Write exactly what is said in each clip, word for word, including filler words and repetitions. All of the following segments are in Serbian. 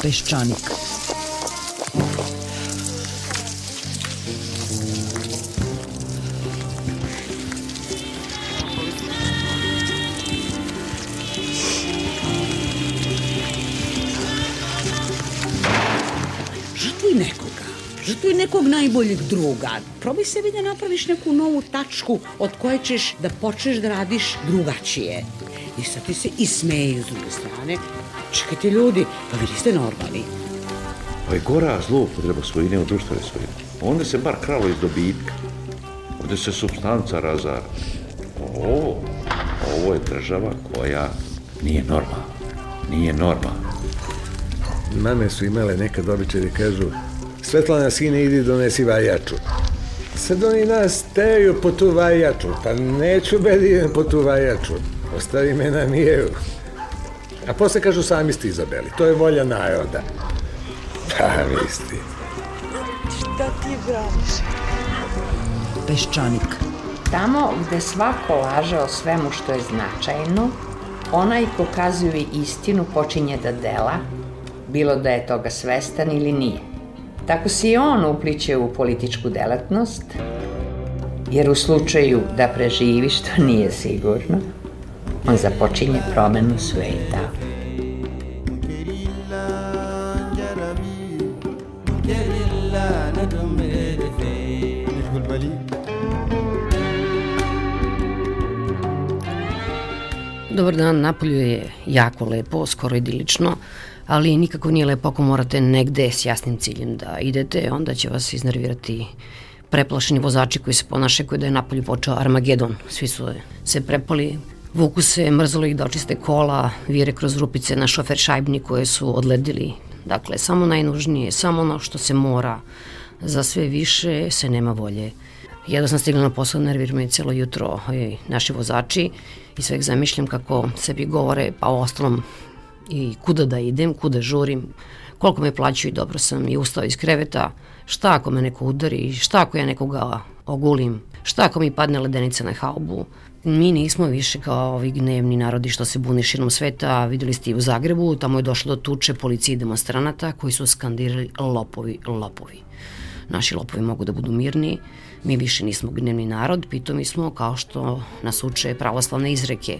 Peščanik. Žrtvuj nekoga, žrtvuj nekog najboljeg druga. Probaj sebi da napraviš neku novu tačku od koje ćeš da počneš da radiš drugačije. I sad ti se i smeju s druge strane. Čekajte ljudi, pa vi niste normalni. Pa je gora zloupotreba svojine u društvene svojine. Onda se bar kralo iz dobitka. Ovdje se supstanca razara. Ovo, ovo je država koja nije normalna. Nije normalna. Mame su imale nekad običaj da kažu: Svetlana, sine, idi donesi vajaču. Sad oni nas teju po tu vajaču. Pa neću bed idem po tu vajaču. Ostavi me na miru. A posle kažu: sami ste izabeli. To je volja naroda. Pa misli. Šta ti braniš? Peščanik. Tamo gde svako laže o svemu što je značajno, onaj ko kazuje istinu počinje da dela, bilo da je toga svestan ili nije. Tako se i on upliče u političku delatnost, jer u slučaju da preživi, što nije sigurno, on započinje promenu sveta. Dobar dan, napolju je jako lepo, skoro idilično, ali nikako nije lepo ako morate negde s jasnim ciljem da idete, onda će vas iznervirati preplašeni vozači koji se ponašaju kao da je napolju počeo Armagedon. Svi su se prepali, vuku se, mrzalo ih da očiste kola, vire kroz rupice na šofer šajbni koje su odledili. Dakle, samo najnužnije, samo ono što se mora, za sve više se nema volje. Jedno sam stigla na posao, nervira me celo jutro oj, naši vozači i sve zamišljam kako sebi govore, pa o ostalom i kuda da idem, kuda žurim, koliko me plaćaju i dobro sam i ustao iz kreveta, šta ako me neko udari, šta ako ja nekoga ogulim, šta ako mi padne ledenica na haubu. Mi nismo više kao ovi gnevni narodi što se bune širom sveta, videli ste i u Zagrebu, tamo je došlo do tuče policije i demonstranata koji su skandirali lopovi, lopovi. Naši lopovi mogu da budu mirni, mi više nismo gnevni narod, pitomi smo kao što nas uče pravoslavne izreke.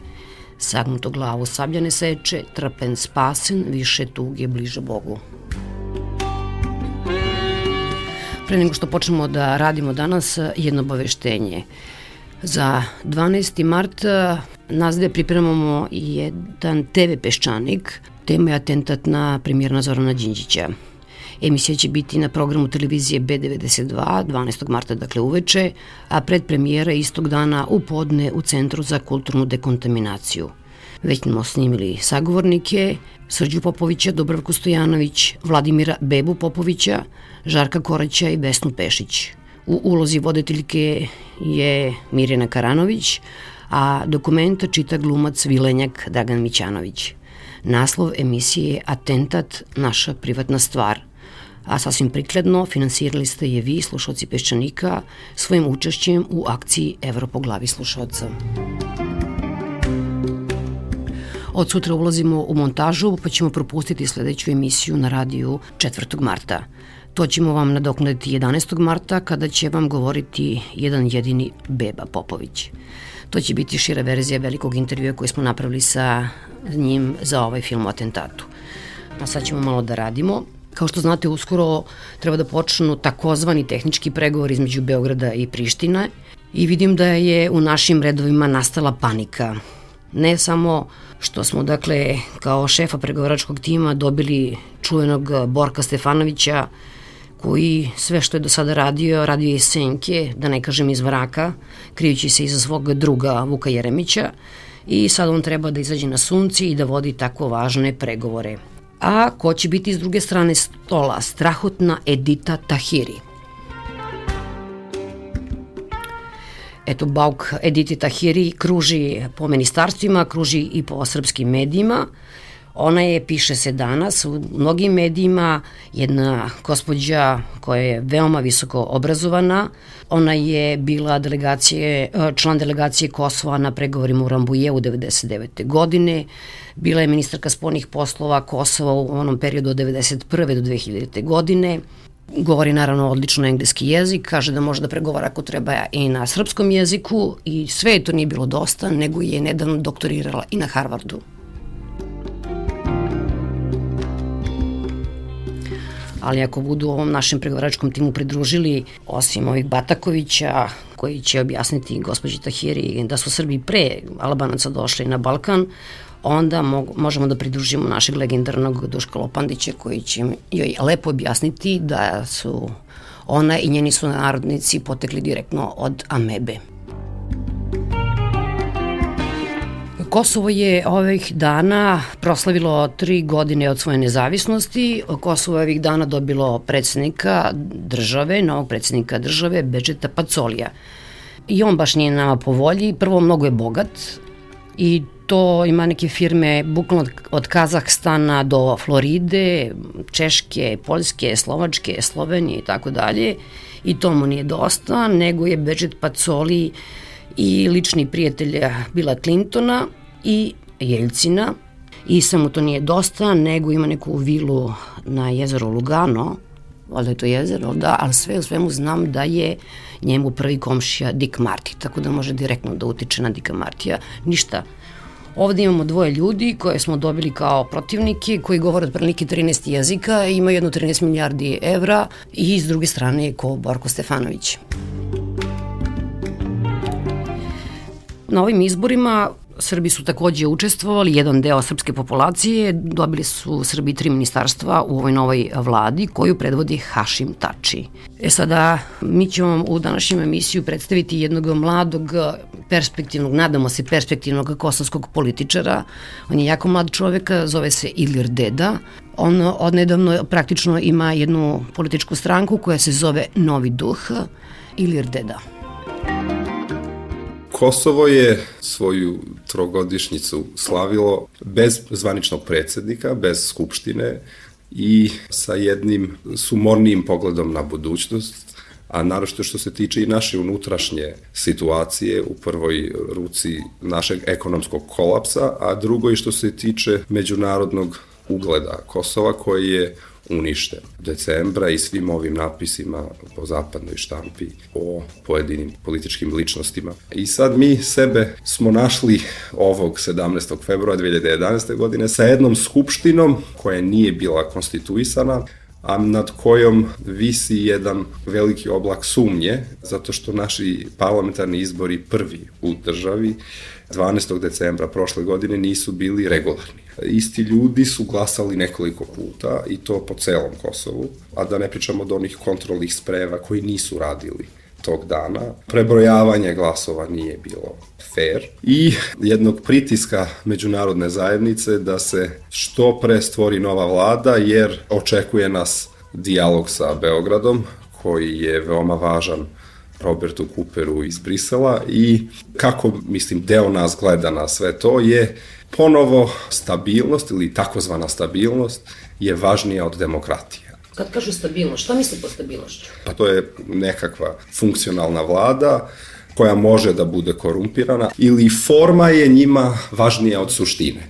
Sagnuto glavu sablja ne seče, trpen spasen, više tuge bliže Bogu. Pre nego što počnemo da radimo danas, jedno obaveštenje. Za dvanaesti mart nas gde pripremamo jedan te ve Peščanik, tema je atentat na premijera Zorana Đinđića. Emisija će biti na programu televizije be devedeset dva, dvanaestog marta, dakle uveče, a predpremijera istog dana u podne u Centru za kulturnu dekontaminaciju. Već smo snimili sagovornike, Srđu Popovića, Dubravku Stojanović, Vladimira Bebu Popovića, Žarka Koraća i Vesnu Pešić. U ulozi voditeljke je Mirjana Karanović, a dokumenta čita glumac Vilenjak Dragan Mićanović. Naslov emisije je Atentat, naša privatna stvar, a sasvim prikladno finansirali ste je vi, slušalci Peščanika, svojim učešćem u akciji Evro po glavi slušalca. Od sutra ulazimo u montažu, pa ćemo propustiti sledeću emisiju na radiju četvrtog marta. To ćemo vam nadoknaditi jedanaestog marta, kada će vam govoriti jedan jedini Beba Popović. To će biti šira verzija velikog intervjua koji smo napravili sa njim za ovaj film o atentatu. A sad ćemo malo da radimo. Kao što znate, uskoro treba da počnu takozvani tehnički pregovor između Beograda i Prištine i vidim da je u našim redovima nastala panika. Ne samo što smo, dakle, kao šefa pregovaračkog tima dobili čuvenog Borka Stefanovića, koji sve što je do sada radio, radio je iz senke, da ne kažem iz mraka, krijući se iza svog druga Vuka Jeremića, i sad on treba da izađe na sunce i da vodi tako važne pregovore. A ko će biti s druge strane stola? Strahotna Edita Tahiri. Eto, bauk Editi Tahiri kruži po ministarstvima, kruži i po srpskim medijima. Ona je, piše se danas, u mnogim medijima jedna gospođa koja je veoma visoko obrazovana. Ona je bila delegacije, član delegacije Kosova na pregovorima u Rambujevu devedeset devete. godine. Bila je ministarka spoljnih poslova Kosova u onom periodu od devedeset prve do dve hiljadite. godine. Govori naravno odlično engleski jezik, kaže da može da pregovara ako treba i na srpskom jeziku i sve to nije bilo dosta, nego je nedavno doktorirala i na Harvardu. Ali ako budu ovom našem pregovaračkom timu pridružili, osim ovih Batakovića, koji će objasniti gospođi Tahiri da su Srbi pre Albanaca došli na Balkan, onda možemo da pridružimo našeg legendarnog Duška Lopandića, koji će joj lepo objasniti da su ona i njeni sunarodnici potekli direktno od amebe. Kosovo je ovih dana proslavilo tri godine od svoje nezavisnosti. Kosovo je ovih dana dobilo predsjednika države, novog predsjednika države, Bedžeta Pacolija. I on baš nije nama po volji. Prvo, mnogo je bogat i to ima neke firme bukvalno od Kazahstana do Floride, Češke, Poljske, Slovačke, Slovenije i tako dalje. I to mu nije dosta, nego je Bedžet Pacoli i lični prijatelj Billa Clintona i Jeljcina. I samo to nije dosta, nego ima neku vilu na jezeru Lugano, valjda je to jezero, da, ali sve u svemu znam da je njemu prvi komšija Dick Marty, tako da može direktno da utiče na Dicka Martija. Ništa. Ovde imamo dvoje ljudi koje smo dobili kao protivnike, koji govore otprilike trinaest jezika, imaju jedno trinaest milijardi evra i s druge strane je ko Borko Stefanović. Na ovim izborima Srbi su takođe učestvovali, jedan deo srpske populacije, dobili su Srbi tri ministarstva u ovoj novoj vladi koju predvodi Hašim Tači. E sada, mi ćemo vam u današnjem emisiju predstaviti jednog mladog, perspektivnog, nadamo se perspektivnog kosovskog političara. On je jako mlad čovek, zove se Ilir Deda. On odnedavno praktično ima jednu političku stranku koja se zove Novi duh. Ilir Deda. Kosovo je svoju trogodišnjicu slavilo bez zvaničnog predsjednika, bez skupštine i sa jednim sumornijim pogledom na budućnost, a naročito što se tiče i naše unutrašnje situacije, u prvoj ruci našeg ekonomskog kolapsa, a drugoj što se tiče međunarodnog ugleda Kosova koji je uništen decembra i svim ovim napisima po zapadnoj štampi o pojedinim političkim ličnostima. I sad mi sebe smo našli ovog sedamnaestog februara dve hiljade jedanaeste. godine sa jednom skupštinom koja nije bila konstituisana, a nad kojom visi jedan veliki oblak sumnje, zato što naši parlamentarni izbori prvi u državi dvanaestog decembra prošle godine nisu bili regularni. Isti ljudi su glasali nekoliko puta i to po celom Kosovu, a da ne pričamo od onih kontrolnih spreva koji nisu radili tog dana. Prebrojavanje glasova nije bilo fair i jednog pritiska međunarodne zajednice da se što pre stvori nova vlada, jer očekuje nas dijalog sa Beogradom koji je veoma važan Robertu Cooperu iz Brisela i kako, mislim, deo nas gleda na sve to je ponovo stabilnost ili takozvana stabilnost je važnija od demokratije. Kad kažu stabilnost, šta misli po stabilnošću? Pa to je nekakva funkcionalna vlada koja može da bude korumpirana ili forma je njima važnija od suštine.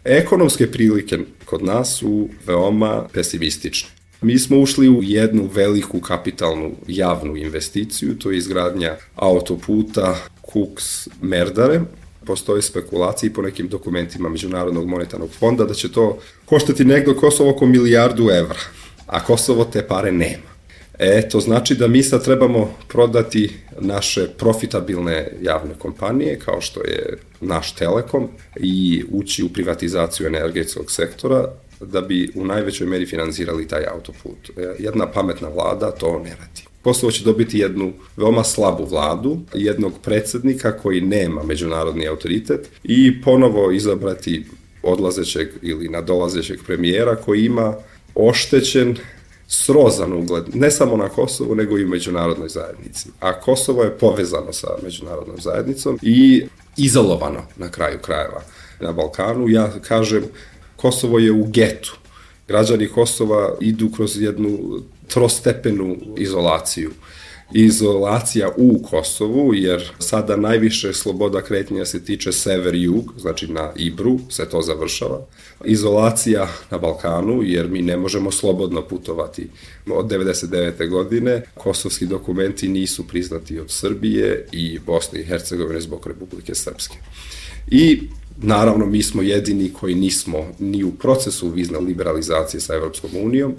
Ekonomske prilike kod nas su veoma pesimistične. Mi smo ušli u jednu veliku kapitalnu javnu investiciju, to je izgradnja autoputa Kuks-Merdare. Postoje spekulacije po nekim dokumentima Međunarodnog monetarnog fonda da će to koštati negdje Kosovo oko milijardu evra, a Kosovo te pare nema. E, to znači da mi sad trebamo prodati naše profitabilne javne kompanije, kao što je naš Telekom, i ući u privatizaciju energetskog sektora, da bi u najvećoj meri finansirali taj autoput. Jedna pametna vlada to ne radi. Kosovo će dobiti jednu veoma slabu vladu, jednog predsjednika koji nema međunarodni autoritet i ponovo izabrati odlazećeg ili nadolazećeg premijera koji ima oštećen, srozan ugled, ne samo na Kosovu, nego i u međunarodnoj zajednici. A Kosovo je povezano sa međunarodnom zajednicom i izolovano na kraju krajeva na Balkanu. Ja kažem, Kosovo je u getu. Građani Kosova idu kroz jednu trostepenu izolaciju. Izolacija u Kosovu, jer sada najviše sloboda kretanja se tiče sever-jug, znači na Ibru se to završava. Izolacija na Balkanu, jer mi ne možemo slobodno putovati. Od devedeset devete godine kosovski dokumenti nisu priznati od Srbije i Bosne i Hercegovine zbog Republike Srpske. I naravno mi smo jedini koji nismo ni u procesu vizne liberalizacije sa Evropskom unijom,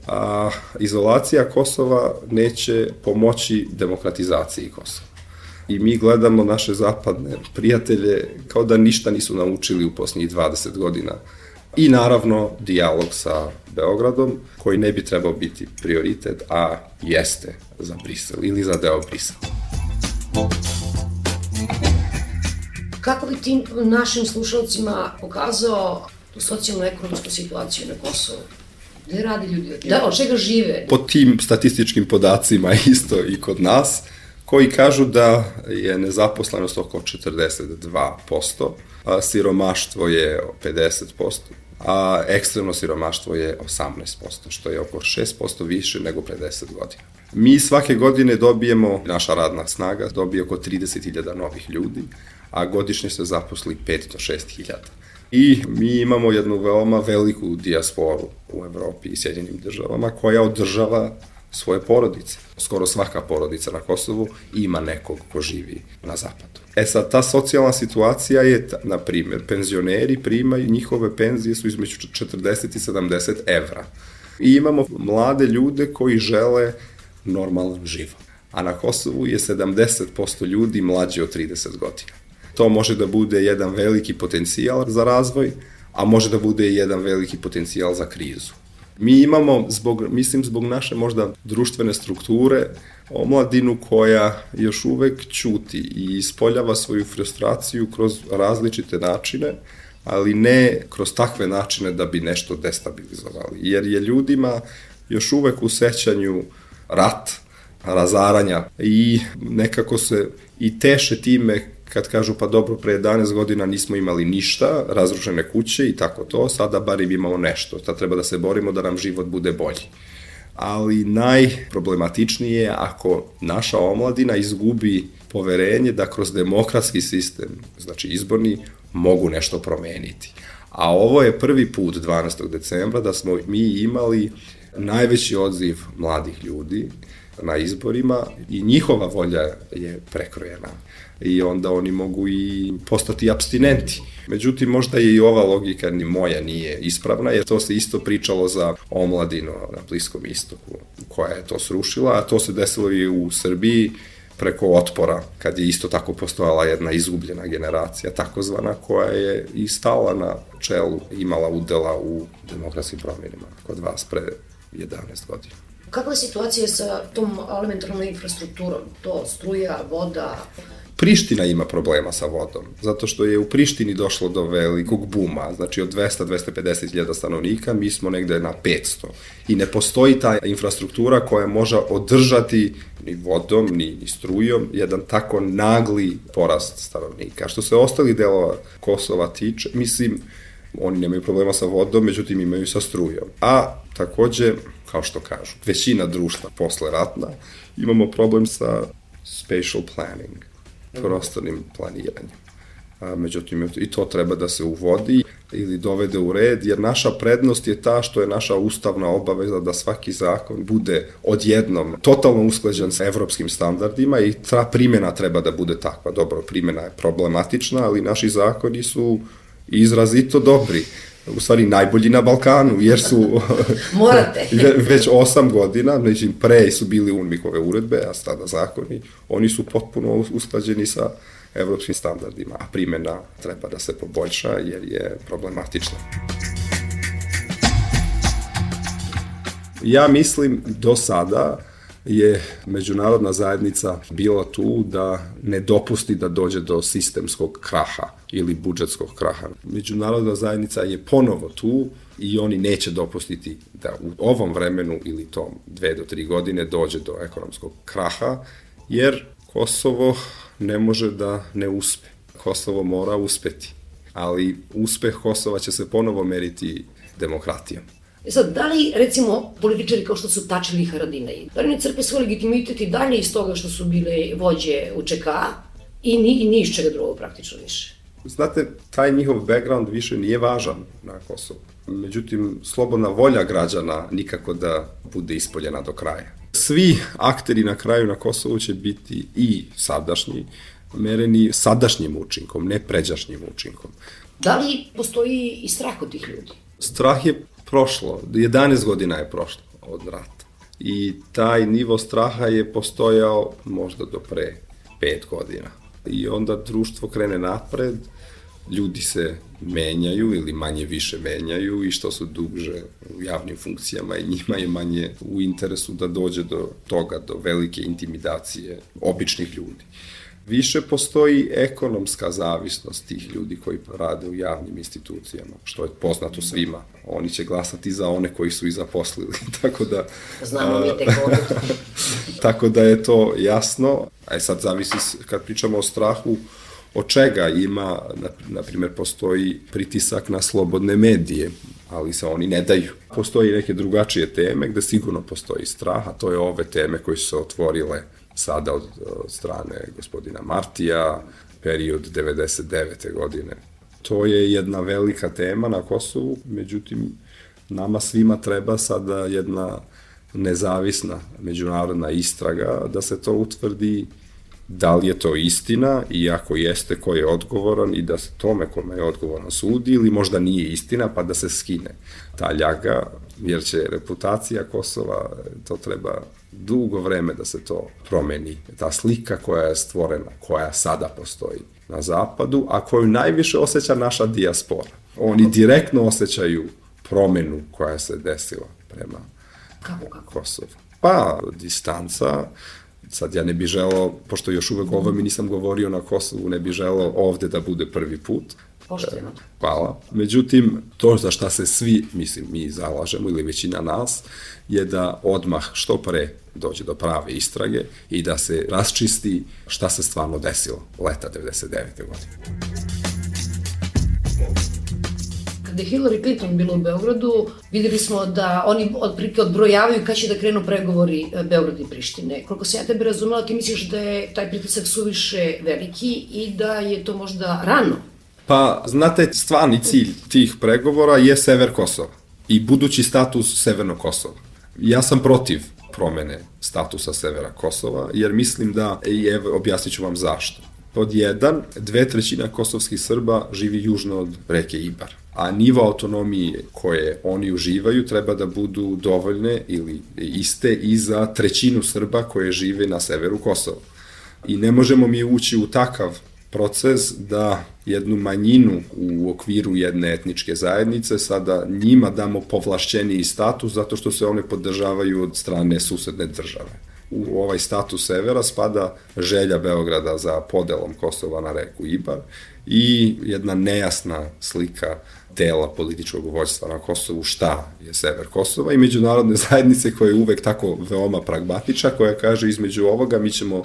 a izolacija Kosova neće pomoći demokratizaciji Kosova. I mi gledamo naše zapadne prijatelje kao da ništa nisu naučili u posljednjih dvadeset godina. I naravno dijalog sa Beogradom, koji ne bi trebao biti prioritet, a jeste za Brisel ili za deo Brisela. Kako bi ti našim slušalcima pokazao tu socijalno-ekonomsku situaciju na Kosovu? Gde radi ljudi? Da, od čega žive? Po tim statističkim podacima isto i kod nas, koji kažu da je nezaposlenost oko četrdeset dva posto, a siromaštvo je pedeset posto, a ekstremno siromaštvo je osamnaest posto, što je oko šest posto više nego pre deset godina. Mi svake godine dobijemo, naša radna snaga dobije oko trideset hiljada novih ljudi, a godišnje se zaposli pet do šest hiljada. I mi imamo jednu veoma veliku dijasporu u Evropi i Sjedinjenim državama koja održava svoje porodice. Skoro svaka porodica na Kosovu ima nekog ko živi na zapadu. E sad, ta socijalna situacija je, na primjer, penzioneri primaju, njihove penzije su između četrdeset i sedamdeset evra. I imamo mlade ljude koji žele normalan život. A na Kosovu je sedamdeset posto ljudi mlađe od trideset godina. To može da bude jedan veliki potencijal za razvoj, a može da bude i jedan veliki potencijal za krizu. Mi imamo, zbog, mislim, zbog naše možda društvene strukture, omladinu koja još uvek ćuti i ispoljava svoju frustraciju kroz različite načine, ali ne kroz takve načine da bi nešto destabilizovali. Jer je ljudima još uvek u sećanju rat, razaranja i nekako se i teše time kad kažu pa dobro, pre jedanaest godina nismo imali ništa, razrušene kuće i tako to, sada barim imamo nešto, sad treba da se borimo da nam život bude bolji. Ali najproblematičnije je ako naša omladina izgubi poverenje da kroz demokratski sistem, znači izborni, mogu nešto promeniti. A ovo je prvi put dvanaestog decembra da smo mi imali najveći odziv mladih ljudi na izborima i njihova volja je prekrojena. I onda oni mogu i postati apstinenti. Međutim, možda je i ova logika ni moja nije ispravna, jer to se isto pričalo za omladinu na Bliskom istoku, koja je to srušila, a to se desilo i u Srbiji preko Otpora, kad je isto tako postojala jedna izgubljena generacija, takozvana, koja je i stala na čelu, imala udela u demokratskim promjenima kod vas pre jedanaest godina. Kakva je situacija sa tom elementarnom infrastrukturom? To struja, voda? Priština ima problema sa vodom, zato što je u Prištini došlo do velikog buma, znači od dvesta do dvesta pedeset hiljada stanovnika, mi smo negde na petsto. I ne postoji ta infrastruktura koja može održati ni vodom, ni, ni strujom, jedan tako nagli porast stanovnika. Što se ostalih delova Kosova tiče, mislim, oni nemaju problema sa vodom, međutim imaju sa strujom. A takođe, kao što kažu, većina društva posle ratna, imamo problem sa spatial planning, prostornim planiranjem. A, međutim, i to treba da se uvodi ili dovede u red, jer naša prednost je ta što je naša ustavna obaveza da svaki zakon bude odjednom totalno usklađen sa evropskim standardima i ta primjena treba da bude takva. Dobro, primjena je problematična, ali naši zakoni su izrazito dobri. U stvari najbolji na Balkanu, jer su Morate. već osam godina, znači pre su bili UNMIK-ove uredbe, a sada zakoni, oni su potpuno usklađeni sa evropskim standardima, a primjena treba da se poboljša jer je problematična. Ja mislim do sada je međunarodna zajednica bila tu da ne dopusti da dođe do sistemskog kraha ili budžetskog kraha. Međunarodna zajednica je ponovo tu i oni neće dopustiti da u ovom vremenu ili tom dve do tri godine dođe do ekonomskog kraha, jer Kosovo ne može da ne uspe. Kosovo mora uspeti. ali uspeh Kosova će se ponovo meriti demokratijom. E sad, da li, recimo, političari kao što su Tači ili Haradinaj, da li ne crpe svoj legitimitet i dalje iz toga što su bile vođe U Č K i ni, i ni iz čega drugog praktično više? Znate, taj njihov background više nije važan na Kosovu. Međutim, slobodna volja građana nikako da bude ispoljena do kraja. Svi akteri na kraju na Kosovu će biti i sadašnji, mereni sadašnjim učinkom, ne pređašnjim učinkom. Da li postoji i strah od tih ljudi? Strah je prošlo, jedanaest godina je prošlo od rata. I taj nivo straha je postojao možda do pre pet godina. I onda društvo krene napred, ljudi se menjaju ili manje više menjaju i što su duže u javnim funkcijama i njima je manje u interesu da dođe do toga, do velike intimidacije običnih ljudi. Više postoji ekonomska zavisnost tih ljudi koji rade u javnim institucijama, što je poznato svima. Oni će glasati za one koji su i zaposlili, tako da... Znamo mi tek ovdje. Tako da je to jasno, a sad zavisi, kad pričamo o strahu, od čega ima, na primjer, postoji pritisak na slobodne medije, ali se oni ne daju. Postoji neke drugačije teme gde sigurno postoji strah, a to je ove teme koje su se otvorile sada od, od strane gospodina Martija, period devedeset devete godine. To je jedna velika tema na Kosovu, međutim, nama svima treba sada jedna nezavisna međunarodna istraga da se to utvrdi da li je to istina i ako jeste ko je odgovoran i da se tome kome je odgovoran sudi ili možda nije istina pa da se skine ta ljaga, jer će reputacija Kosova, to treba dugo vreme da se to promeni. Ta slika koja je stvorena, koja sada postoji na zapadu, a koju najviše osjeća naša dijaspora. Oni direktno osjećaju promenu koja se desila prema kako, kako? Kosovu. Pa, distanca. Sad ja ne bih želeo, pošto još uvek ovo mi nisam govorio na Kosovu, ne bih želeo ovde da bude prvi put. Pošteno. Hvala. Međutim, to za šta se svi, mislim, mi zalažemo ili većina nas, je da odmah što pre dođe do prave istrage i da se rasčisti šta se stvarno desilo leta devedeset devete godine. Kada je Hillary Clinton bila u Beogradu, videli smo da oni otprilike odbrojavaju kad će da krenu pregovori Beograda i Prištine. Koliko se ja tebe razumela, ti misliš da je taj pritisak suviše veliki i da je to možda rano? Pa, znate, stvarni cilj tih pregovora je sever Kosova i budući status Severnog Kosova. Ja sam protiv promene statusa severa Kosova, jer mislim da, i evo, objasnit ću vam zašto. Pod jedan, dve trećina kosovskih Srba živi južno od reke Ibar, a nivo autonomije koje oni uživaju treba da budu dovoljne ili iste i za trećinu Srba koje žive na severu Kosova. I ne možemo mi ući u takav proces da jednu manjinu u okviru jedne etničke zajednice sada njima damo povlašćeniji status zato što se one podržavaju od strane susedne države. U ovaj status severa spada želja Beograda za podelom Kosova na reku Ibar i jedna nejasna slika dela političkog vođstva na Kosovu šta je sever Kosova i međunarodne zajednice koja je uvek tako veoma pragmatična, koja kaže između ovoga mi ćemo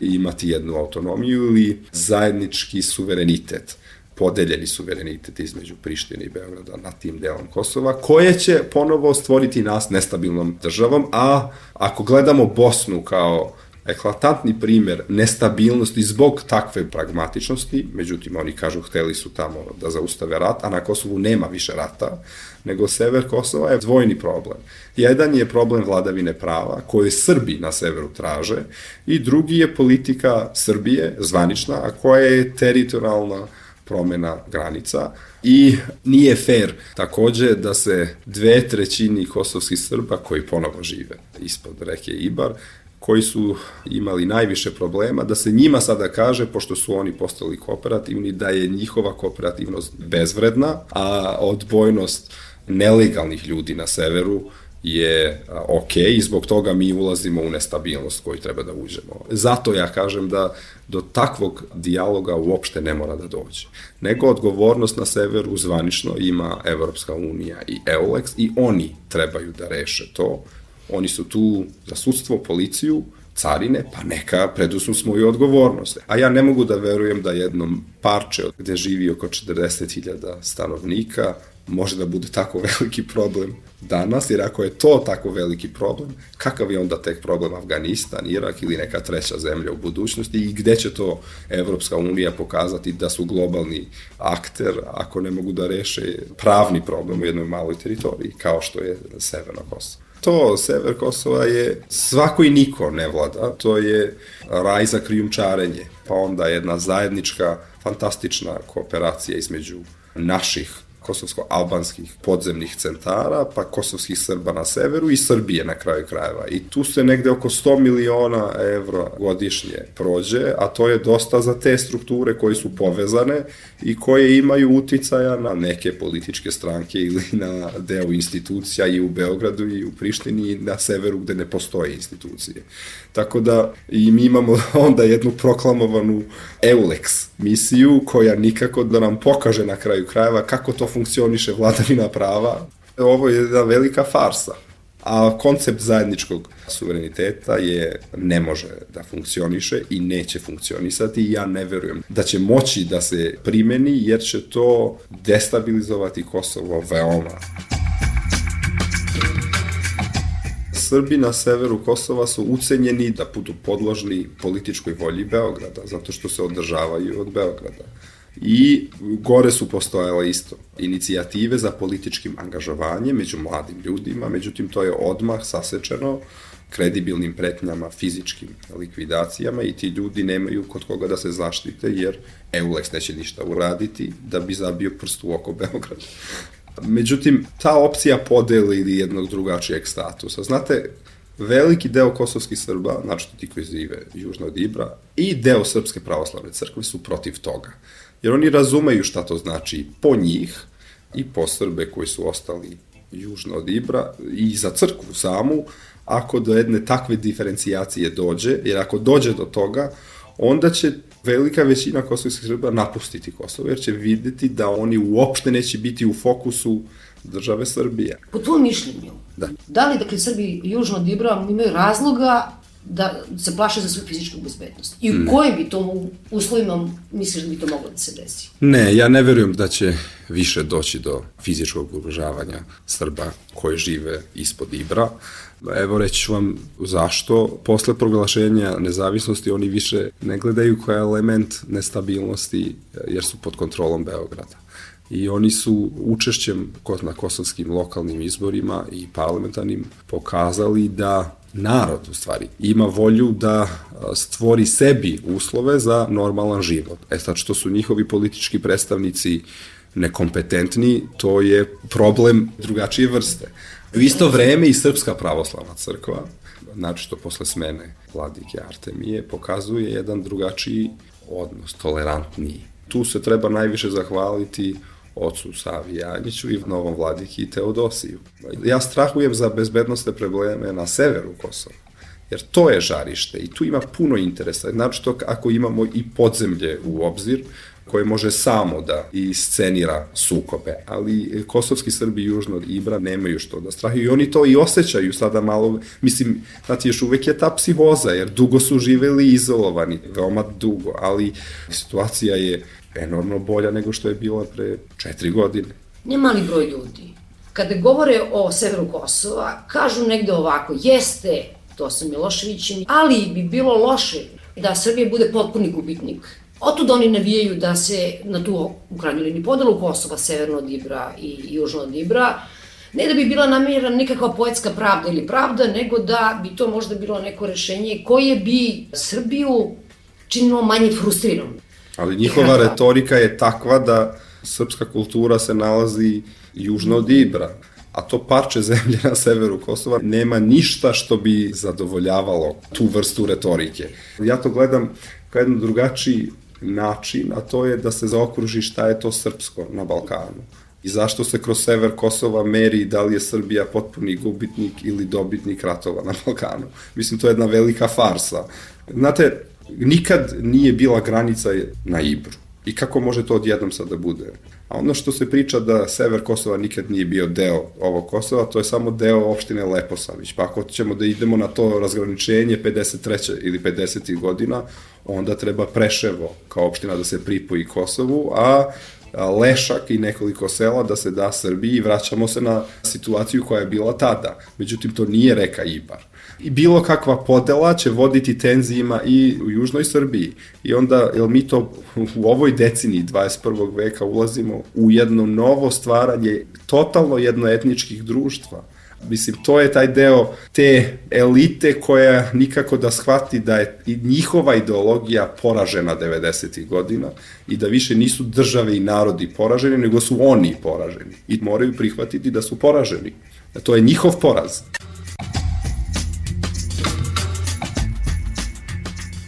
imati jednu autonomiju ili zajednički suverenitet, podeljeni suverenitet između Prištine i Beograda nad tim delom Kosova, koje će ponovo stvoriti nas nestabilnom državom, a ako gledamo Bosnu kao eklatantni primer nestabilnosti zbog takve pragmatičnosti, međutim oni kažu hteli su tamo da zaustave rat, a na Kosovu nema više rata, nego sever Kosova je dvojni problem. Jedan je problem vladavine prava, koje Srbi na severu traže, i drugi je politika Srbije, zvanična, a koja je teritorijalna promena granica i nije fair takođe da se dve trećini kosovskih Srba koji ponovo žive ispod reke Ibar, koji su imali najviše problema, da se njima sada kaže, pošto su oni postali kooperativni, da je njihova kooperativnost bezvredna, a odbojnost nelegalnih ljudi na severu je ok i zbog toga mi ulazimo u nestabilnost koju treba da uđemo. Zato ja kažem da do takvog dijaloga uopšte ne mora da dođe. Nego odgovornost na severu zvanično ima Evropska unija i EULEX i oni trebaju da reše to. Oni su tu za sudstvo, policiju, carine, pa neka preduzmu svoju odgovornost. A ja ne mogu da verujem da jednom parče gde živi oko četrdeset hiljada stanovnika može da bude tako veliki problem danas, jer ako je to tako veliki problem, kakav je onda tek problem Afganistan, Irak ili neka treća zemlja u budućnosti i gde će to Evropska unija pokazati da su globalni akter ako ne mogu da reše pravni problem u jednoj maloj teritoriji, kao što je Severno Kosovo. To, sever Kosova je svako i niko ne vlada, to je raj za krijumčarenje, pa onda jedna zajednička, fantastična kooperacija između naših kosovsko-albanskih podzemnih centara, pa kosovskih Srba na severu i Srbije na kraju krajeva. I tu se negde oko sto miliona evra godišnje prođe, a to je dosta za te strukture koje su povezane i koje imaju uticaja na neke političke stranke ili na deo institucija i u Beogradu i u Prištini i na severu gde ne postoje institucije. Tako da i mi imamo onda jednu proklamovanu EULEX misiju koja nikako da nam pokaže na kraju krajeva kako to funkcioniše vladavina prava. Ovo je jedna velika farsa. A koncept zajedničkog suvereniteta je ne može da funkcioniše i neće funkcionisati i ja ne verujem da će moći da se primeni jer će to destabilizovati Kosovo veoma. Srbi na severu Kosova su ucenjeni da budu podložni političkoj volji Beograda, zato što se održavaju od Beograda. I gore su postojale isto inicijative za političkim angažovanjem među mladim ljudima, međutim to je odmah sasečeno kredibilnim pretnjama, fizičkim likvidacijama i ti ljudi nemaju kod koga da se zaštite jer EULEX neće ništa uraditi da bi zabio prst u oko Beograda. Međutim, ta opcija podeli ili jednog drugačijeg statusa. Znate, veliki deo kosovskih Srba, znači ti koji žive južno od Ibra, i deo Srpske pravoslavne crkve su protiv toga. Jer oni razumeju šta to znači po njih i po Srbe koji su ostali južno od Ibra i za crkvu samu, ako do jedne takve diferencijacije dođe, jer ako dođe do toga, onda će velika većina kosovskih Srba napustiti Kosovo, jer će videti da oni uopšte neće biti u fokusu države Srbije. Po tvojom mišljenju, da, da li, dakle, Srbi južno od Ibra imaju razloga da se plaše za svoju fizičku bezbednost? I u ne. kojim bi to uslovima misliš da bi to moglo da se desi? Ne, ja ne verujem da će više doći do fizičkog ugrožavanja Srba koji žive ispod Ibra. Evo reći ću vam zašto. Posle proglašenja nezavisnosti oni više ne gledaju kao element nestabilnosti jer su pod kontrolom Beograda. I oni su učešćem na kosovskim lokalnim izborima i parlamentarnim pokazali da narod, u stvari, ima volju da stvori sebi uslove za normalan život. E sad, što su njihovi politički predstavnici nekompetentni, to je problem drugačije vrste. U isto vreme i Srpska pravoslavna crkva, znači što posle smene vladike Artemije, pokazuje jedan drugačiji odnos, tolerantniji. Tu se treba najviše zahvaliti ocu Savi Janjiću i novom vladiki Teodosiju. Ja strahujem za bezbednostne probleme na severu Kosova, jer to je žarište i tu ima puno interesa. Znači to ako imamo i podzemlje u obzir, koje može samo da iscenira sukobe, ali kosovski Srbi južno od Ibra nemaju što da strahuju i oni to i osjećaju sada malo, mislim, znači još uvek je ta psihoza, jer dugo su živeli izolovani, veoma dugo, ali situacija je enormno bolja nego što je bila pre četiri godine. Ne mali broj ljudi, kada govore o severu Kosova, kažu negde ovako, jeste to sa Miloševićem, ali bi bilo loše da Srbija bude potpuni gubitnik. Otud oni navijaju da se na tu u krajnjoj liniji podelu Kosova, severno od Ibra i južno od Ibra, ne da bi bila namjerena nikakva poetska pravda ili pravda, nego da bi to možda bilo neko rešenje koje bi Srbiju činilo manje frustriranom. Ali njihova retorika je takva da srpska kultura se nalazi južno od Ibra, a to parče zemlje na severu Kosova nema ništa što bi zadovoljavalo tu vrstu retorike. Ja to gledam kao jedan drugačiji način, a to je da se zaokruži šta je to srpsko na Balkanu. I zašto se kroz sever Kosova meri da li je Srbija potpuni gubitnik ili dobitnik ratova na Balkanu. Mislim, to je jedna velika farsa. Znate, nikad nije bila granica na Ibru. I kako može to odjednom sad da bude? A ono što se priča da sever Kosova nikad nije bio deo ovog Kosova, to je samo deo opštine Leposavić. Pa ako ćemo da idemo na to razgraničenje pedeset treće ili pedesetih godina, onda treba Preševo kao opština da se pripoji Kosovu, a Lešak i nekoliko sela da se da Srbiji i vraćamo se na situaciju koja je bila tada. Međutim, to nije reka Ibar. I bilo kakva podela će voditi tenzijima i u južnoj Srbiji. I onda, jel mi to u ovoj deceniji dvadeset prvog veka ulazimo u jedno novo stvaranje totalno jednoetničkih društva. Mislim, to je taj deo te elite koja nikako da shvati da je i njihova ideologija poražena devedesetih godina i da više nisu države i narodi poraženi, nego su oni poraženi. I moraju prihvatiti da su poraženi. To je njihov poraz.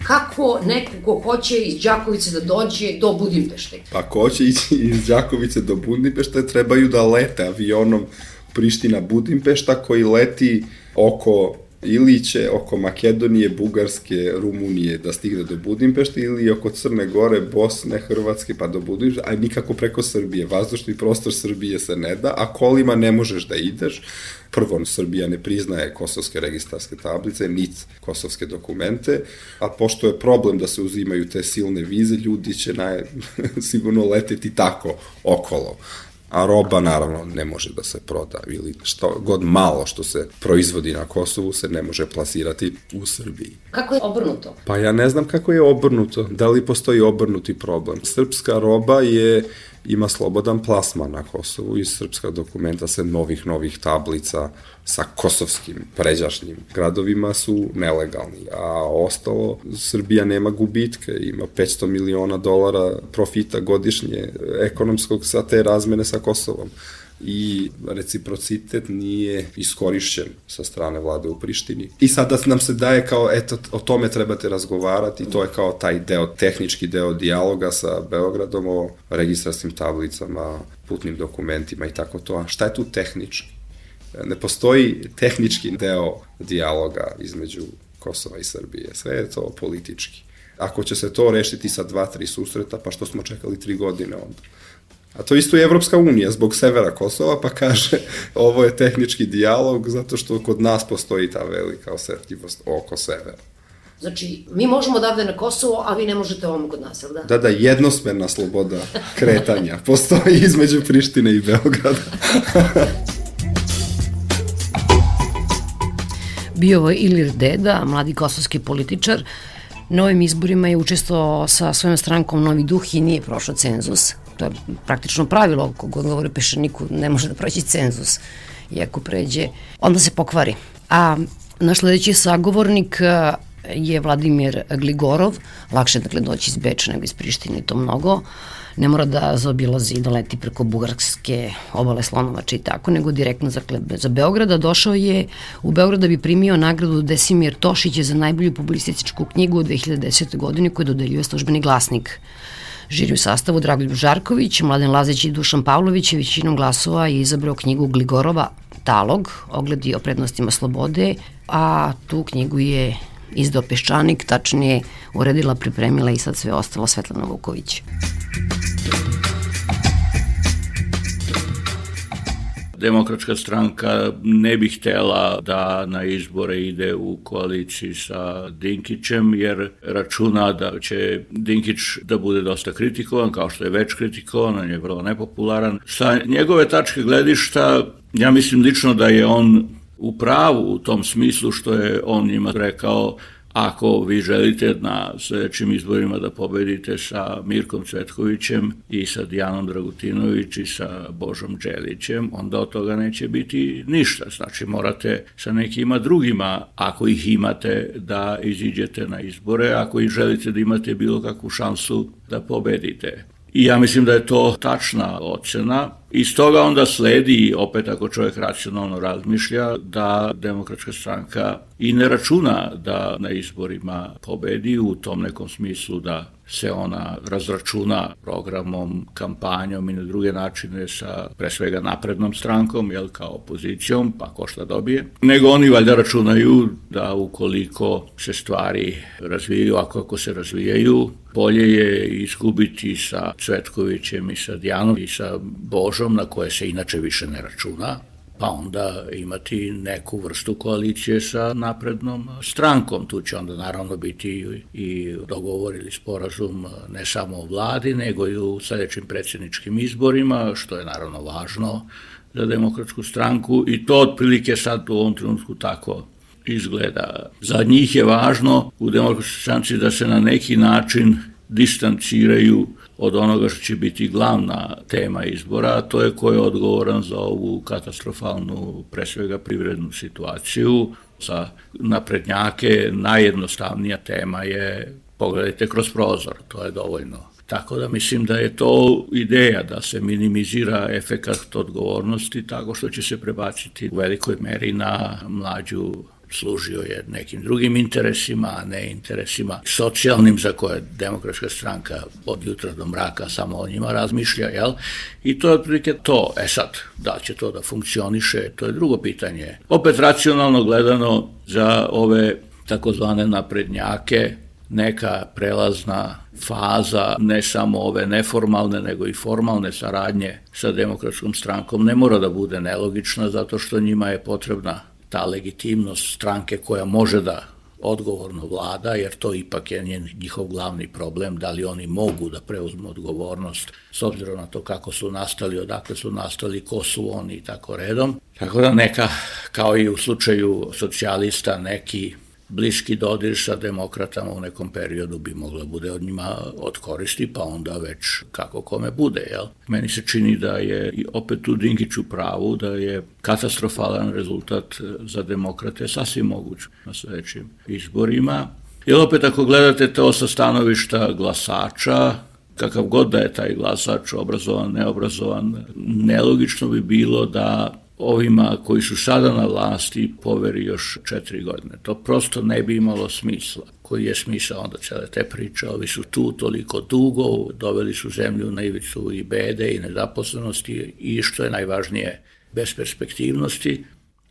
Kako neko ko hoće iz Đakovice da dođe do Budimpešte? Pa ko hoće ići iz Đakovice do Budimpešte, trebaju da lete avionom Priština-Budimpešta koji leti oko Iliće, oko Makedonije, Bugarske, Rumunije da stigne do Budimpešte ili oko Crne Gore, Bosne, Hrvatske pa do Budimpešte, a nikako preko Srbije. Vazdušni prostor Srbije se ne da, a kolima ne možeš da ideš. Prvo, Srbija ne priznaje kosovske registarske tablice, nit kosovske dokumente, a pošto je problem da se uzimaju te silne vize, ljudi će naj, sigurno leteti tako okolo. A roba naravno ne može da se proda ili što god malo što se proizvodi na Kosovu se ne može plasirati u Srbiji. Kako je obrnuto? Pa ja ne znam kako je obrnuto, da li postoji obrnuti problem. Srpska roba je, ima slobodan plasman na Kosovu i srpska dokumenta sa novih, novih tablica sa kosovskim pređašnjim gradovima su nelegalni, a ostalo Srbija nema gubitke, ima petsto miliona dolara profita godišnje ekonomskog sa te razmene sa Kosovom. I reciprocitet nije iskorišćen sa strane vlade u Prištini. I sada nam se daje kao, eto, o tome trebate razgovarati, to je kao taj deo, tehnički deo dijaloga sa Beogradom o registrarskim tablicama, putnim dokumentima i tako to. A šta je tu tehnički? Ne postoji tehnički deo dijaloga između Kosova i Srbije. Sve je to politički. Ako će se to rešiti sa dva, tri susreta, pa što smo čekali tri godine onda? A to isto je Evropska unija zbog severa Kosova, pa kaže ovo je tehnički dijalog zato što kod nas postoji ta velika osetljivost oko severa. Znači, mi možemo odavde na Kosovo, a vi ne možete ovamo kod nas, ili da? Da, da, jednosmerna sloboda kretanja postoji između Prištine i Beograda. Bio je Ilir Deda, mladi kosovski političar. Na ovim izborima je učestvovao sa svojom strankom Novi duh i nije prošao cenzus. To je praktično pravilo, kogod govori Peščaniku, ne može da proći cenzus. I ako pređe, onda se pokvari. A naš sledeći sagovornik je Vladimir Gligorov. Lakše dakle doći iz Beča nego iz Prištine, to mnogo. Ne mora da zaobilazi i da leti preko bugarske obale Slonovača i tako, nego direktno za, za Beograda. Došao je u Beograd da bi primio nagradu Desimir Tošić za najbolju publicističku knjigu u dve hiljade desete. godine koju dodeljuje Službeni glasnik. Žiri u sastavu Dragoljub Žarković, Mladen Lazić i Dušan Pavlović je većinom glasova je izabrao knjigu Gligorova Talog, ogledi o prednostima slobode, a tu knjigu je izdao Peščanik, tačnije uredila, pripremila i sad sve ostalo Svetlana Vuković. Demokratska stranka ne bi htela da na izbore ide u koaliciji sa Dinkićem, jer računa da će Dinkić da bude dosta kritikovan, kao što je već kritikovan, on je vrlo nepopularan. Sa njegove tačke gledišta, ja mislim lično da je on u pravu u tom smislu što je on njima rekao: ako vi želite na sledećim izborima da pobedite sa Mirkom Cvetkovićem i sa Dijanom Dragutinović i sa Božom Đelićem, onda od toga neće biti ništa. Znači morate sa nekima drugima, ako ih imate, da iziđete na izbore, ako ih želite da imate bilo kakvu šansu da pobedite. I ja mislim da je to tačna ocena. Iz toga onda sledi, opet ako čovjek racionalno razmišlja, da Demokratska stranka i ne računa da na izborima pobedi u tom nekom smislu da se ona razračuna programom, kampanjom i na druge načine sa pre svega naprednom strankom, jel, kao opozicijom, pa ko šta dobije. Nego oni valjda računaju da ukoliko se stvari razvijaju, ako ako se razvijaju, bolje je izgubiti sa Cvetkovićem i sa Dijanom i sa Božom, na koje se inače više ne računa, pa onda imati neku vrstu koalicije sa naprednom strankom. Tu će onda naravno biti i dogovor ili sporazum ne samo o vladi, nego i u sledećim predsjedničkim izborima, što je naravno važno za Demokratsku stranku i to otprilike sad u ovom trenutku tako izgleda. Za njih je važno u Demokratskoj stranci da se na neki način distanciraju od onoga što će biti glavna tema izbora, a to je ko je odgovoran za ovu katastrofalnu, pre svega privrednu situaciju. Za naprednjake najjednostavnija tema je pogledajte kroz prozor, to je dovoljno. Tako da mislim da je to ideja da se minimizira efekat odgovornosti tako što će se prebaciti u velikoj meri na mlađu. Služio je nekim drugim interesima, a ne interesima socijalnim za koje Demokratska stranka od jutra do mraka samo o njima razmišlja, jel? I to je otprilike to. E sad, da li će to da funkcioniše, to je drugo pitanje. Opet racionalno gledano za ove takozvane naprednjake, neka prelazna faza, ne samo ove neformalne, nego i formalne saradnje sa Demokratskom strankom ne mora da bude nelogična, zato što njima je potrebna ta legitimnost stranke koja može da odgovorno vlada, jer to ipak je njihov glavni problem, da li oni mogu da preuzmu odgovornost s obzirom na to kako su nastali, odakle su nastali, ko su oni i tako redom. Tako da neka, kao i u slučaju socijalista, neki bliski dodir sa demokratama u nekom periodu bi mogla bude od njima od koristi, pa onda već kako kome bude, jel? Meni se čini da je i opet u Dinkiću pravu, da je katastrofalan rezultat za demokrate sasvim moguć na sledećim izborima. Jer opet ako gledate to sa stanovišta glasača, kakav god da je taj glasač, obrazovan, neobrazovan, nelogično bi bilo da ovima koji su sada na vlasti poveri još četiri godine. To prosto ne bi imalo smisla. Koji je smisao onda cele te priče? Ovi su tu toliko dugo, doveli su zemlju na ivicu i bede i nezaposlenosti i što je najvažnije besperspektivnosti.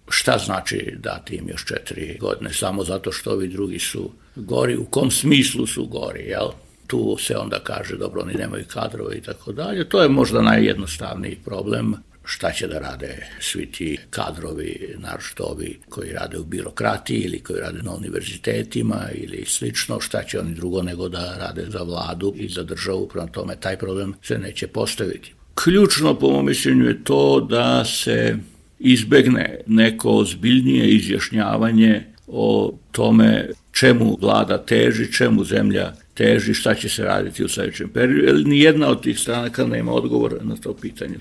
Šta znači dati im još četiri godine? Samo zato što ovi drugi su gori. U kom smislu su gori, jel? Tu se onda kaže, dobro, oni nemaju kadrove i tako dalje. To je možda najjednostavniji problem. Šta će da rade svi ti kadrovi, naročito ovi koji rade u birokratiji ili koji rade na univerzitetima ili slično, šta će oni drugo nego da rade za vladu i za državu, prema tome taj problem se neće postaviti. Ključno po mom mišljenju je to da se izbegne neko ozbiljnije izjašnjavanje o tome čemu vlada teži, čemu zemlja teži, šta će se raditi u sledećem periodu, jer nijedna od tih stranaka nema odgovor na to pitanje.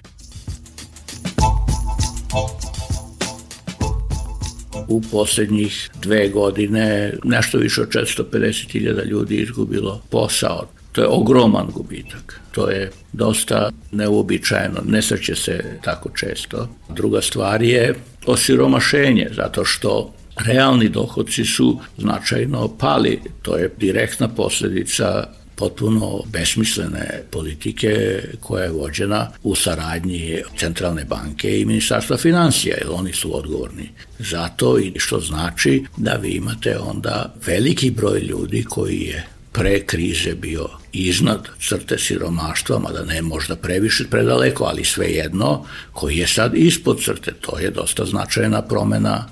U posljednjih dve godine nešto više od četiristo pedeset hiljada ljudi izgubilo posao. To je ogroman gubitak. To je dosta neuobičajeno, ne sreće se tako često. Druga stvar je osiromašenje, zato što realni dohodci su značajno pali. To je direktna posljedica potpuno besmislene politike koja je vođena u saradnji Centralne banke i Ministarstva financija, jer oni su odgovorni za to i što znači da vi imate onda veliki broj ljudi koji je pre krize bio iznad crte siromaštva, mada ne možda previše predaleko, ali svejedno, koji je sad ispod crte. To je dosta značajna promena,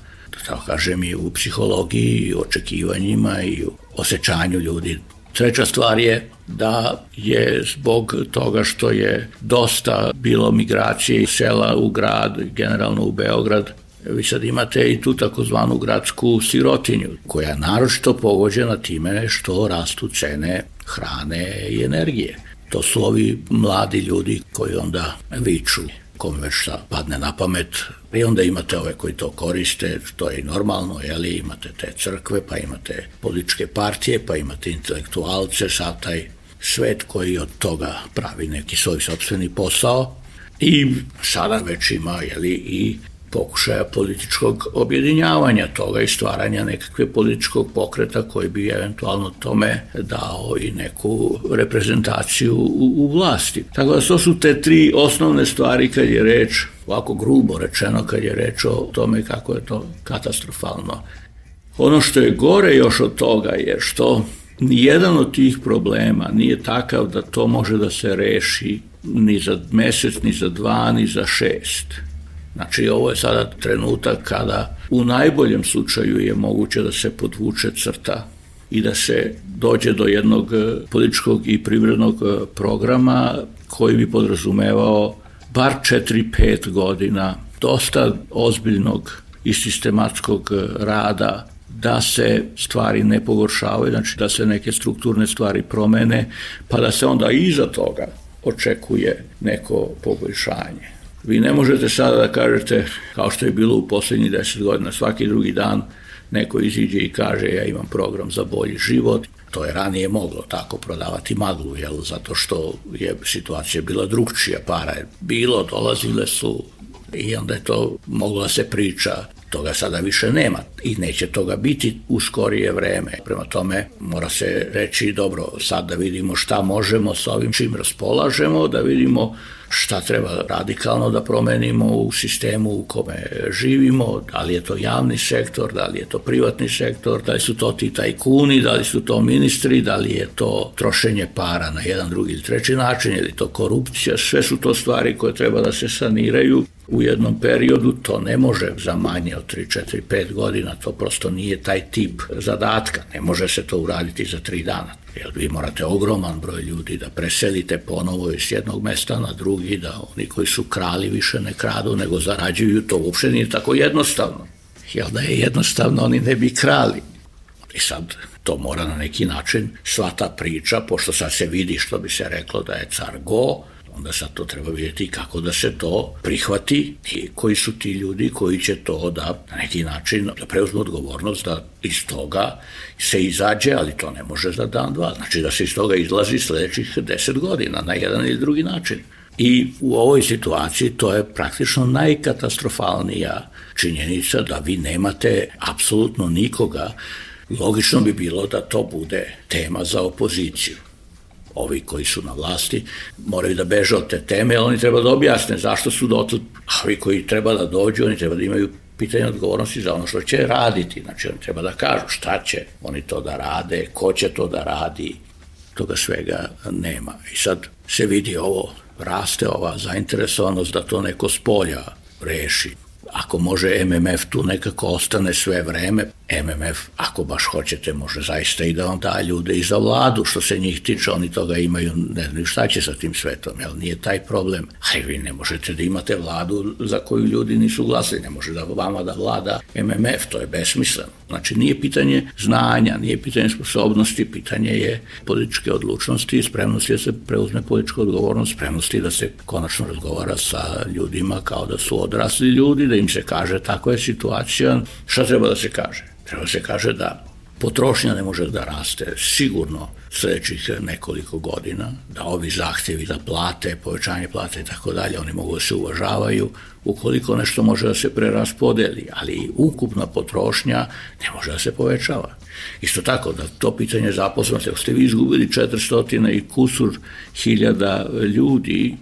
tako kažem, i u psihologiji, i u očekivanjima, i u osjećanju ljudi. Treća stvar je da je zbog toga što je dosta bilo migracije iz sela u grad, generalno u Beograd, vi sad imate i tu takozvanu gradsku sirotinju, koja je naročito pogođena time što rastu cene hrane i energije. To su ovi mladi ljudi koji onda viču, kome već šta padne na pamet, i onda imate ove koji to koriste, to je i normalno, jeli, imate te crkve, pa imate političke partije, pa imate intelektualce, sad taj svet koji od toga pravi neki svoj sopstveni posao i sada već ima, jeli, i pokušaja političkog objedinjavanja toga i stvaranja nekakve političkog pokreta koji bi eventualno tome dao i neku reprezentaciju u, u vlasti. Tako da to su te tri osnovne stvari kad je reč, ovako grubo rečeno, kad je reč o tome kako je to katastrofalno. Ono što je gore još od toga je što nijedan od tih problema nije takav da to može da se reši ni za mesec, ni za dva, ni za šest. Znači, ovo je sada trenutak kada u najboljem slučaju je moguće da se podvuče crta i da se dođe do jednog političkog i privrednog programa koji bi podrazumevao bar četiri pet godina dosta ozbiljnog i sistematskog rada da se stvari ne pogoršavaju, znači da se neke strukturne stvari promene, pa da se onda iza toga očekuje neko poboljšanje. Vi ne možete sada da kažete, kao što je bilo u poslednjih deset godina, svaki drugi dan neko iziđe i kaže ja imam program za bolji život. To je ranije moglo tako prodavati maglu, jel, zato što je situacija bila drugčija, para je bilo, dolazile su i onda je to moglo da se priča. Toga sada više nema i neće toga biti u skorije vreme. Prema tome mora se reći dobro, sad da vidimo šta možemo s ovim čim raspolažemo, da vidimo šta treba radikalno da promenimo u sistemu u kome živimo, da li je to javni sektor, da li je to privatni sektor, da li su to ti tajkuni, da li su to ministri, da li je to trošenje para na jedan, drugi ili treći način, ili to korupcija, sve su to stvari koje treba da se saniraju u jednom periodu, to ne može za manje od tri, četiri, pet godina, to prosto nije taj tip zadatka, ne može se to uraditi za tri dana. Jer vi morate ogroman broj ljudi da preselite ponovo iz jednog mesta na drugi, da oni koji su krali više ne kradu, nego zarađuju, to uopšte nije tako jednostavno. Jer da je jednostavno, oni ne bi krali. I sad to mora na neki način, sva ta priča, pošto sad se vidi što bi se reklo da je car go, onda sad to treba vidjeti kako da se to prihvati i koji su ti ljudi koji će to da na neki način da preuzmu odgovornost da iz toga se izađe, ali to ne može za dan, dva. Znači da se iz toga izlazi sledećih deset godina na jedan ili drugi način. I u ovoj situaciji to je praktično najkatastrofalnija činjenica da vi nemate apsolutno nikoga. Logično bi bilo da to bude tema za opoziciju. Ovi koji su na vlasti moraju da beže od te teme, ali oni treba da objasne zašto su dotle, a ovi koji treba da dođu, oni treba da imaju pitanje odgovornosti za ono što će raditi, znači oni treba da kažu šta će oni to da rade, ko će to da radi, toga svega nema. I sad se vidi ovo, raste ova zainteresovanost da to neko s polja reši. Ako može M M F tu nekako ostane sve vreme, M M F, ako baš hoćete, može zaista i da vam da ljude i za vladu, što se njih tiče, oni toga imaju, ne znam šta će sa tim svetom, jel nije taj problem. Aj, vi ne možete da imate vladu za koju ljudi nisu glasili, ne može da vama da vlada M M F, to je besmisleno. Znači, nije pitanje znanja, nije pitanje sposobnosti, pitanje je političke odlučnosti i spremnosti da se preuzme politička odgovornost, spremnosti da se konačno razgovara sa ljudima kao da su odrasli ljudi, da im se kaže tako je situacija. Šta treba da se kaže? Treba se kaže da potrošnja ne može da raste sigurno sledećih nekoliko godina, da ovi zahtjevi za plate, povećanje plate i tako dalje, oni mogu da se uvažavaju ukoliko nešto može da se preraspodeli, ali ukupna potrošnja ne može da se povećava. Isto tako da to pitanje zaposlenosti, ako ste vi izgubili četiristo i kusur hiljada ljudi,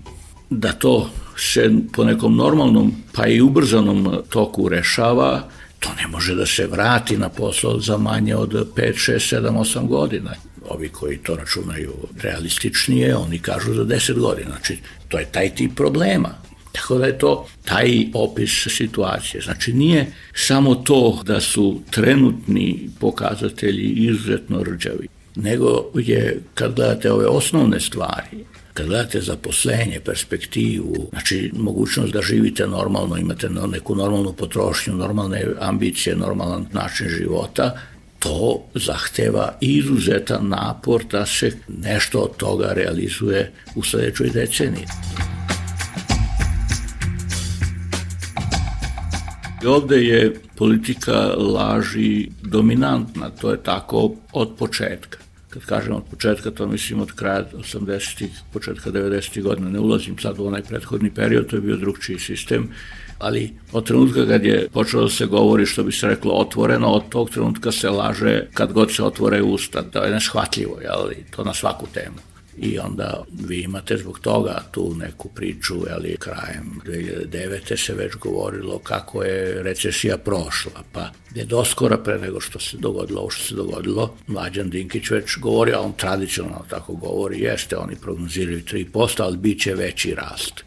da to se po nekom normalnom pa i ubrzanom toku rešava, to ne može da se vrati na posao za manje od pet, šest, sedam, osam godina. Ovi koji to računaju realističnije, oni kažu za deset godina. Znači, to je taj tip problema. Tako da je to taj opis situacije. Znači, nije samo to da su trenutni pokazatelji izuzetno rđavi, nego je, kad gledate ove osnovne stvari, kad gledate zaposlenje, perspektivu, znači mogućnost da živite normalno, imate neku normalnu potrošnju, normalne ambicije, normalan način života, to zahteva izuzetan napor da se nešto od toga realizuje u sledećoj deceniji. I ovde je politika laži dominantna, to je tako od početka. Kad kažem od početka, to mislim od kraja osamdesetih, početka devedesetih godina, ne ulazim sad u onaj prethodni period, to je bio drugčiji sistem, Ali od trenutka kad je počelo da se govori, što bi se reklo, otvoreno, od tog trenutka se laže kad god se otvore usta. To je neshvatljivo, jel? To na svaku temu. I onda vi imate zbog toga tu neku priču, jeli, krajem dve hiljade devete. se već govorilo kako je recesija prošla, pa je doskora pre nego što se dogodilo ovo što se dogodilo. Mlađan Dinkić već govori, a on tradicionalno tako govori, jeste, oni prognoziraju tri posto, ali bit će veći rast.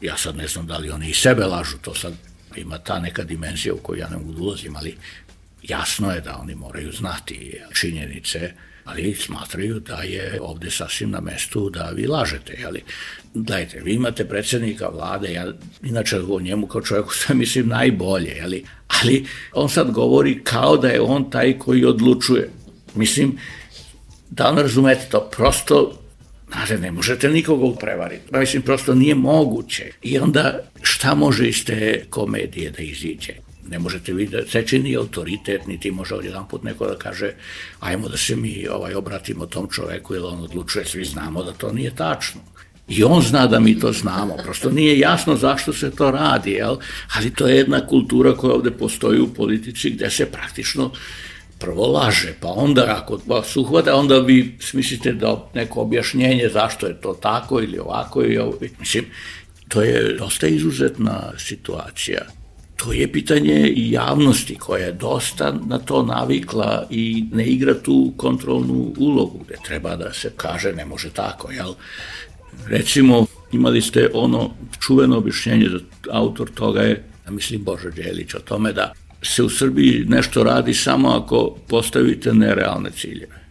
Ja sad ne znam da li oni i sebe lažu, to sad ima ta neka dimenzija u koju ja ne mogu da ulazim, ali jasno je da oni moraju znati činjenice, ali smatraju da je ovde sasvim na mestu da vi lažete. Jeli? Gledajte, vi imate predsjednika vlade, ja inače o njemu kao čovjeku sve mislim najbolje, jeli? Ali on sad govori kao da je on taj koji odlučuje. Mislim, da on razumete to, prosto, znate, ne možete nikoga prevariti. Mislim, prosto nije moguće. I onda šta može iz te komedije da iziđe? Ne možete vidjeti, seći ni autoritet, niti može odjedan put neko da kaže ajmo da se mi ovaj, obratimo tom čoveku ili on odlučuje, svi znamo da to nije tačno. I on zna da mi to znamo, prosto nije jasno zašto se to radi, jel? Ali to je jedna kultura koja ovde postoji u politici gde se praktično prvo laže, pa onda ako vas uhvata, onda vi smislite da neko objašnjenje zašto je to tako ili ovako ili ovo. Mislim, to je dosta izuzetna situacija. To je pitanje i javnosti koja je dosta na to navikla i ne igra tu kontrolnu ulogu gde treba da se kaže ne može tako, jel? Recimo, imali ste ono čuveno objašnjenje, da autor toga je, ja mislim, Božo Đelić, o tome da se u Srbiji nešto radi samo ako postavite nerealne ciljeve.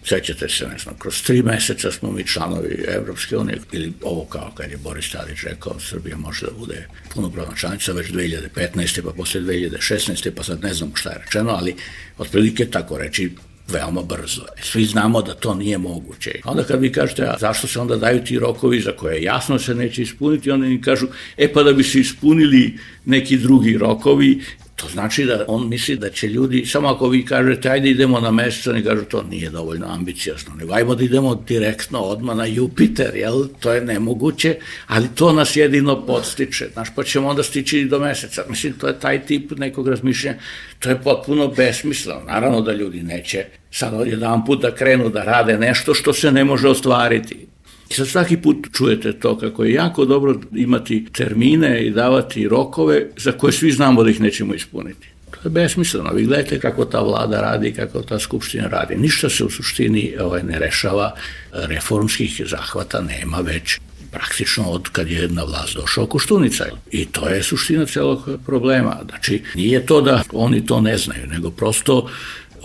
Sećate se, ne znam, kroz tri meseca smo mi članovi Evropske unije, ili ovo kao kad je Boris Tadić rekao, Srbija može da bude punopravna članica već dve hiljade petnaeste. pa posle dve hiljade šesnaeste. pa sad ne znam šta je rečeno, ali otprilike tako reći veoma brzo. Svi znamo da to nije moguće. Onda kad vi kažete, a zašto se onda daju ti rokovi za koje jasno se neće ispuniti, onda im kažu, e pa da bi se ispunili neki drugi rokovi, to znači da on misli da će ljudi, samo ako vi kažete ajde idemo na mesec, oni kažu to nije dovoljno ambiciozno, nego ajmo da idemo direktno odmah na Jupiter, jel? To je nemoguće, ali to nas jedino podstiče, znaš, pa ćemo onda stići do meseca. Mislim, to je taj tip nekog razmišljanja, to je potpuno besmisleno. Naravno da ljudi neće sad odjedan put da krenu da rade nešto što se ne može ostvariti. I sad svaki put čujete to kako je jako dobro imati termine i davati rokove za koje svi znamo da ih nećemo ispuniti. To je besmisleno. Vi gledajte kako ta vlada radi, kako ta skupština radi. Ništa se u suštini ovaj, ne rešava, reformskih zahvata nema već praktično od kad je na vlast došao Koštunica. I to je suština celog problema. Znači, nije to da oni to ne znaju, nego prosto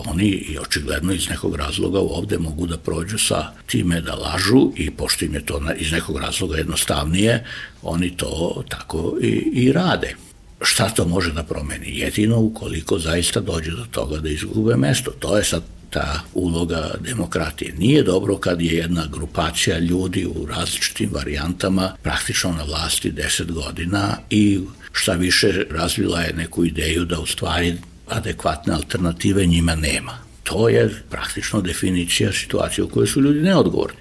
oni i očigledno iz nekog razloga ovde mogu da prođu sa time da lažu i pošto im je to iz nekog razloga jednostavnije, oni to tako i, i rade. Šta to može da promeni? Jedino ukoliko zaista dođe do toga da izgube mesto. To je sad ta uloga demokratije. Nije dobro kad je jedna grupacija ljudi u različitim varijantama praktično na vlasti deset godina i šta više razvila je neku ideju da u stvari adekvatne alternative njima nema. To je praktično definicija situacije u kojoj su ljudi neodgovorni.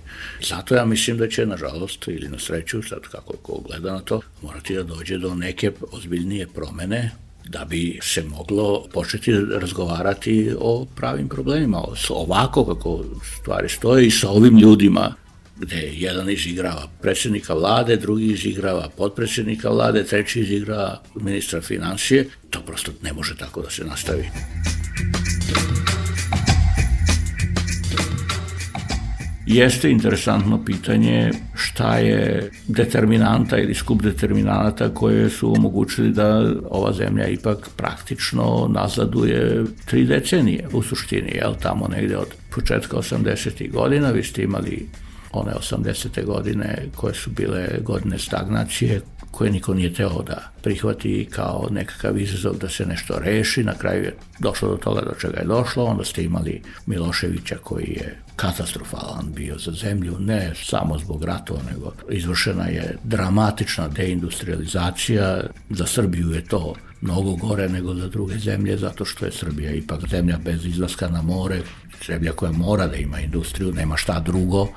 Zato ja mislim da će, nažalost, ili na sreću, sad kako ko gleda na to, morati da dođe do neke ozbiljnije promene da bi se moglo početi razgovarati o pravim problemima. Ovako kako stvari stoje i sa ovim ljudima gde jedan izigrava predsjednika vlade, drugi izigrava potpredsjednika vlade, treći izigrava ministra financije, to prosto ne može tako da se nastavi. Jeste interesantno pitanje šta je determinanta ili skup determinanta koje su omogućili da ova zemlja ipak praktično nazaduje tri decenije u suštini, jel, tamo negde od početka osamdesetih godina, vi ste imali one osamdesete godine koje su bile godine stagnacije, koje niko nije teo da prihvati kao nekakav izazov da se nešto reši. Na kraju je došlo do toga do čega je došlo. Onda ste imali Miloševića koji je katastrofalan bio za zemlju, ne samo zbog ratova, nego izvršena je dramatična deindustrializacija. Za Srbiju je to mnogo gore nego za druge zemlje, zato što je Srbija ipak zemlja bez izlaska na more, zemlja koja mora da ima industriju, nema šta drugo,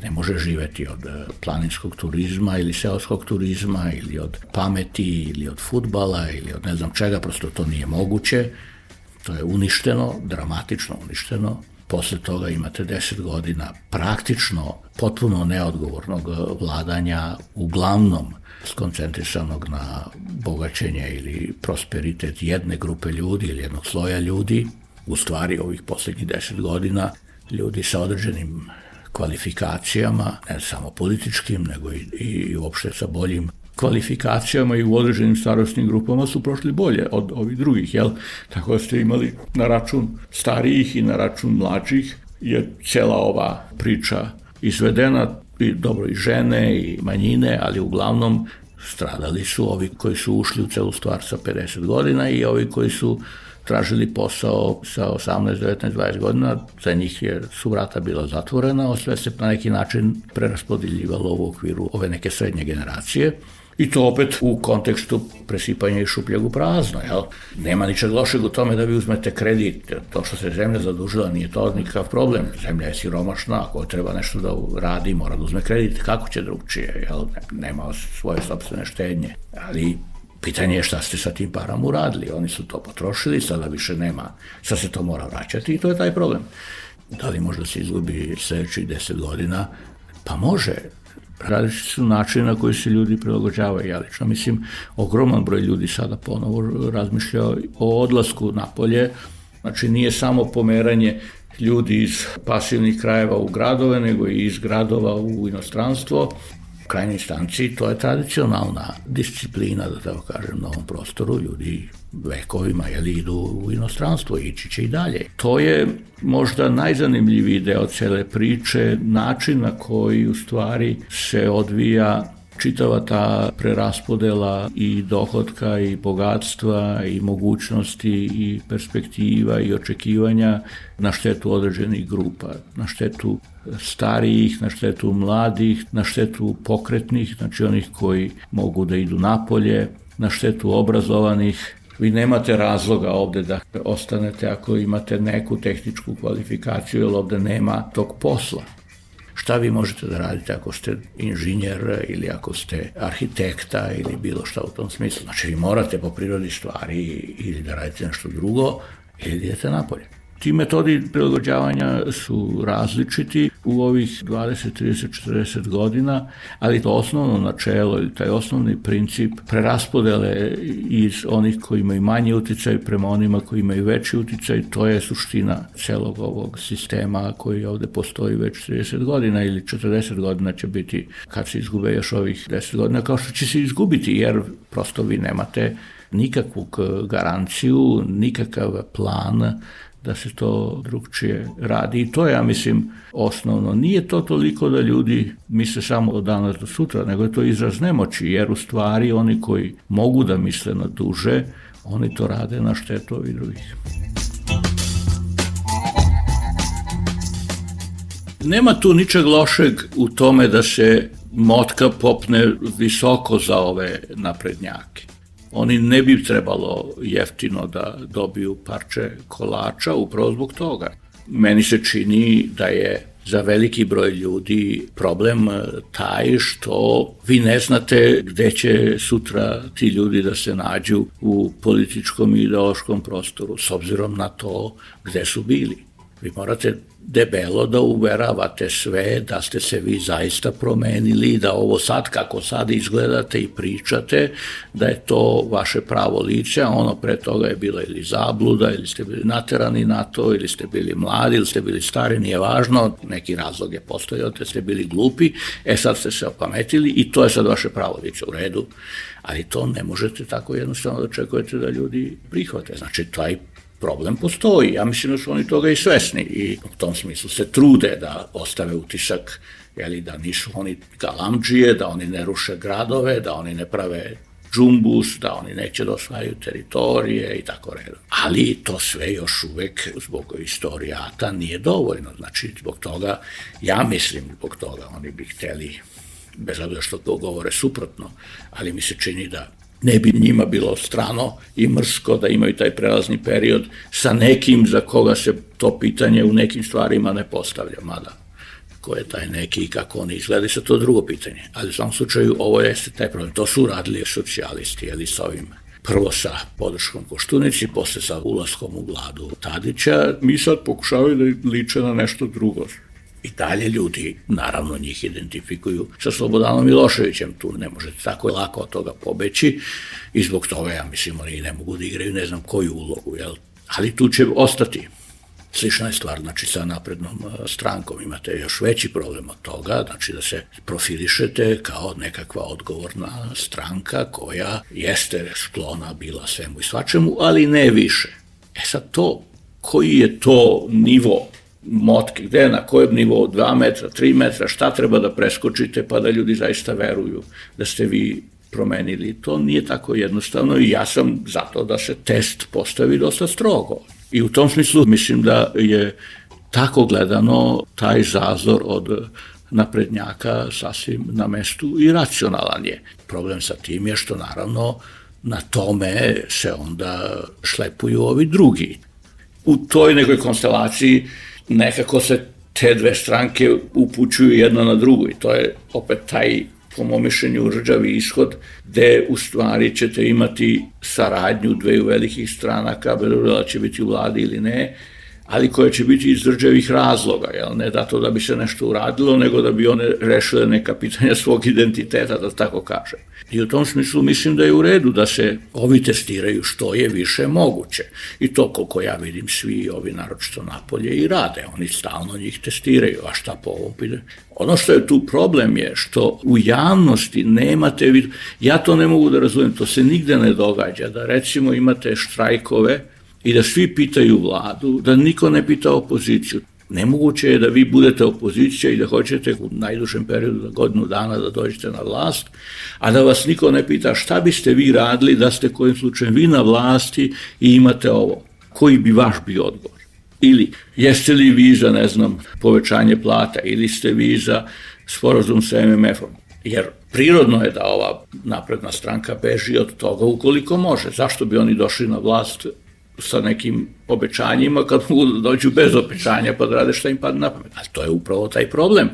ne može živeti od planinskog turizma ili seoskog turizma ili od pameti ili od fudbala ili od ne znam čega, prosto to nije moguće. To je uništeno, dramatično uništeno. Posle toga imate deset godina praktično potpuno neodgovornog vladanja, uglavnom skoncentrisanog na bogaćenje ili prosperitet jedne grupe ljudi ili jednog sloja ljudi. U stvari ovih poslednjih deset godina ljudi sa određenim kvalifikacijama, ne samo političkim, nego i, i uopšte sa boljim kvalifikacijama i u određenim starostnim grupama su prošli bolje od ovih drugih, jel? Tako da ste imali na račun starijih i na račun mlađih je cijela ova priča izvedena, i dobro i žene i manjine, ali uglavnom stradali su ovi koji su ušli u celu stvar sa pedeset godina i ovi koji su tražili posao sa osamnaest, devetnaest, dvadeset godina, za njih je, su vrata bila zatvorena, a sve se na neki način preraspodeljivalo u okviru ove neke srednje generacije. I to opet u kontekstu presipanja i šupljeg u prazno, jel? Nema ničeg lošeg u tome da vi uzmete kredit, to što se zemlja zadužila nije to nikakav problem, zemlja je siromašna, ako treba nešto da radi mora da uzme kredit, kako će drugčije, jel? Nema svoje sopstvene štednje, ali pitanje je šta ste sa tim parama uradili, oni su to potrošili, sada više nema, sad se to mora vraćati i to je taj problem. Da li možda se izgubi sljedećih deset godina? Pa može. Različiti su načini na koji se ljudi prilagođavaju. Ja lično mislim, ogroman broj ljudi sada ponovo razmišlja o odlasku napolje. Znači nije samo pomeranje ljudi iz pasivnih krajeva u gradove, nego i iz gradova u inostranstvo. U krajnjoj instanci to je tradicionalna disciplina, da tako kažem, na ovom prostoru. Ljudi vekovima jeli, idu u inostranstvo, ići će i dalje. To je možda najzanimljiviji deo cele priče, način na koji u stvari se odvija čitava ta preraspodela i dohotka i bogatstva i mogućnosti i perspektiva i očekivanja na štetu određenih grupa, na štetu starijih, na štetu mladih, na štetu pokretnih, znači onih koji mogu da idu napolje, na štetu obrazovanih. Vi nemate razloga ovde da ostanete ako imate neku tehničku kvalifikaciju, jer ovde nema tog posla. Šta vi možete da radite ako ste inženjer ili ako ste arhitekta ili bilo šta u tom smislu? Znači vi morate po prirodi stvari ili da radite nešto drugo ili idete napolje. Ti metodi prilagođavanja su različiti u ovih dvadeset, trideset, četrdeset godina, ali to osnovno načelo ili taj osnovni princip preraspodele iz onih koji imaju manji uticaj prema onima koji imaju veći uticaj, to je suština celog ovog sistema koji ovde postoji već trideset godina ili četrdeset godina će biti kad se izgube još ovih deset godina, kao što će se izgubiti jer prosto vi nemate nikakvu garanciju, nikakav plan da se to drugčije radi. I to je, ja mislim, osnovno. Nije to toliko da ljudi misle samo od danas do sutra, nego je to izraz nemoći, jer u stvari oni koji mogu da misle na duže, oni to rade na štetu ovih drugih. Nema tu ničeg lošeg u tome da se motka popne visoko za ove naprednjake. Oni ne bi trebalo jeftino da dobiju parče kolača upravo zbog toga. Meni se čini da je za veliki broj ljudi problem taj što vi ne znate gde će sutra ti ljudi da se nađu u političkom i ideološkom prostoru s obzirom na to gde su bili. Vi morate debelo da uveravate sve da ste se vi zaista promenili, da ovo sad kako sad izgledate i pričate, da je to vaše pravo lice, a ono pre toga je bila ili zabluda, ili ste bili naterani na to, ili ste bili mladi, ili ste bili stari, nije važno, neki razlog je postojao, da ste bili glupi, e sad ste se opametili i to je sad vaše pravo lice u redu, ali to ne možete tako jednostavno da očekujete da ljudi prihvate. Znači, taj problem postoji. Ja mislim da su oni toga i svesni i u tom smislu se trude da ostave utisak, jeli, da nisu oni galamdžije, da oni ne ruše gradove, da oni ne prave džumbus, da oni neće da osvajaju teritorije i tako redom. Ali to sve još uvek zbog istorijata nije dovoljno. Znači, zbog toga, ja mislim zbog toga, oni bi hteli, bez obzira što to govore suprotno, ali mi se čini da ne bi njima bilo strano i mrsko da imaju taj prelazni period sa nekim za koga se to pitanje u nekim stvarima ne postavlja, mada ko je taj neki i kako oni izgledaju, sa to drugo pitanje. Ali u svom slučaju ovo jeste taj problem. To su radili socijalisti, jeli sa ovim. Prvo sa podrškom Koštunici, posle sa ulaskom u vladu Tadića. Mi sad pokušavaju da liče na nešto drugo. I dalje ljudi, naravno, njih identifikuju sa Slobodanom Miloševićem. Tu ne možete tako lako od toga pobeći i zbog toga, ja mislim, oni ne mogu da igraju ne znam koju ulogu, jel? Ali tu će ostati. Slična je stvar, znači sa naprednom strankom imate još veći problem od toga, znači da se profilišete kao nekakva odgovorna stranka koja jeste sklona bila svemu i svačemu, ali ne više. E sad to, koji je to nivo motke, gde, na kojem nivou, dva metra, tri metra, šta treba da preskočite pa da ljudi zaista veruju da ste vi promenili, to nije tako jednostavno i ja sam zato da se test postavi dosta strogo. I u tom smislu mislim da je tako gledano taj zazor od naprednjaka sasvim na mestu i racionalan je. Problem sa tim je što naravno na tome se onda šlepuju ovi drugi. U toj nekoj konstelaciji nekako se te dve stranke upućuju jedna na drugu i to je opet taj, po mom mišljenju, rđavi ishod, gde u stvari ćete imati saradnju dveju velikih stranaka, bez obzira da će biti u vladi ili ne, ali koje će biti iz rđavih razloga, jel? Ne da to da bi se nešto uradilo, nego da bi one rešile neka pitanja svog identiteta, da tako kažem. I u tom smislu mislim da je u redu da se ovi testiraju što je više moguće. I to, koliko ja vidim, svi ovi naročito napolje i rade. Oni stalno njih testiraju, a šta po ovom pitanju? Ono što je tu problem je što u javnosti nemate, ja to ne mogu da razumijem, to se nigde ne događa, da recimo imate štrajkove i da svi pitaju vladu, da niko ne pita opoziciju. Nemoguće je da vi budete opozicija i da hoćete u najdužem periodu za godinu dana da dođete na vlast, a da vas niko ne pita šta biste vi radili da ste kojim slučajem vi na vlasti i imate ovo. Koji bi vaš bio odgovor? Ili jeste li vi za, ne znam, povećanje plata ili ste vi za sporazum sa em em efom? Jer prirodno je da ova napredna stranka beži od toga ukoliko može. Zašto bi oni došli na vlast sa nekim obećanjima kad mogu da dođu bez obećanja pa da rade šta im padne na pamet? Ali to je upravo taj problem,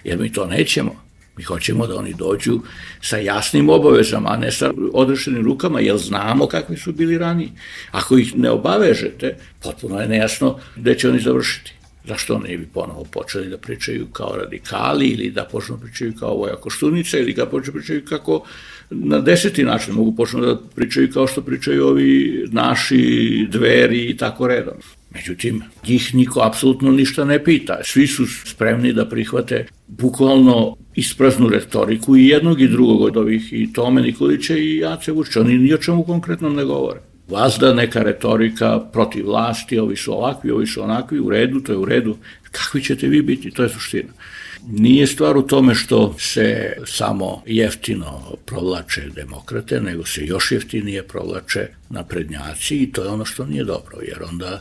jer mi to nećemo. Mi hoćemo da oni dođu sa jasnim obavezama, a ne sa odrešenim rukama, jer znamo kakvi su bili raniji. Ako ih ne obavežete, potpuno je nejasno gde će oni završiti. Zašto ne bi ponovo počeli da pričaju kao radikali ili da počnu da pričaju kao Voja Koštunica ili da počnu da pričaju kako na deseti način mogu počnu da pričaju kao što pričaju ovi naši Dveri i tako redom. Međutim, njih niko apsolutno ništa ne pita. Svi su spremni da prihvate bukvalno ispraznu retoriku i jednog i drugog od ovih, i Tome Nikolića i Ace Vučića. Oni ni o čemu konkretnom ne govore. Vazda neka retorika protiv vlasti, ovi su ovakvi, ovi su onakvi, u redu, to je u redu. Kakvi ćete vi biti? To je suština. Nije stvar u tome što se samo jeftino provlače demokrate, nego se još jeftinije provlače naprednjaci i to je ono što nije dobro, jer onda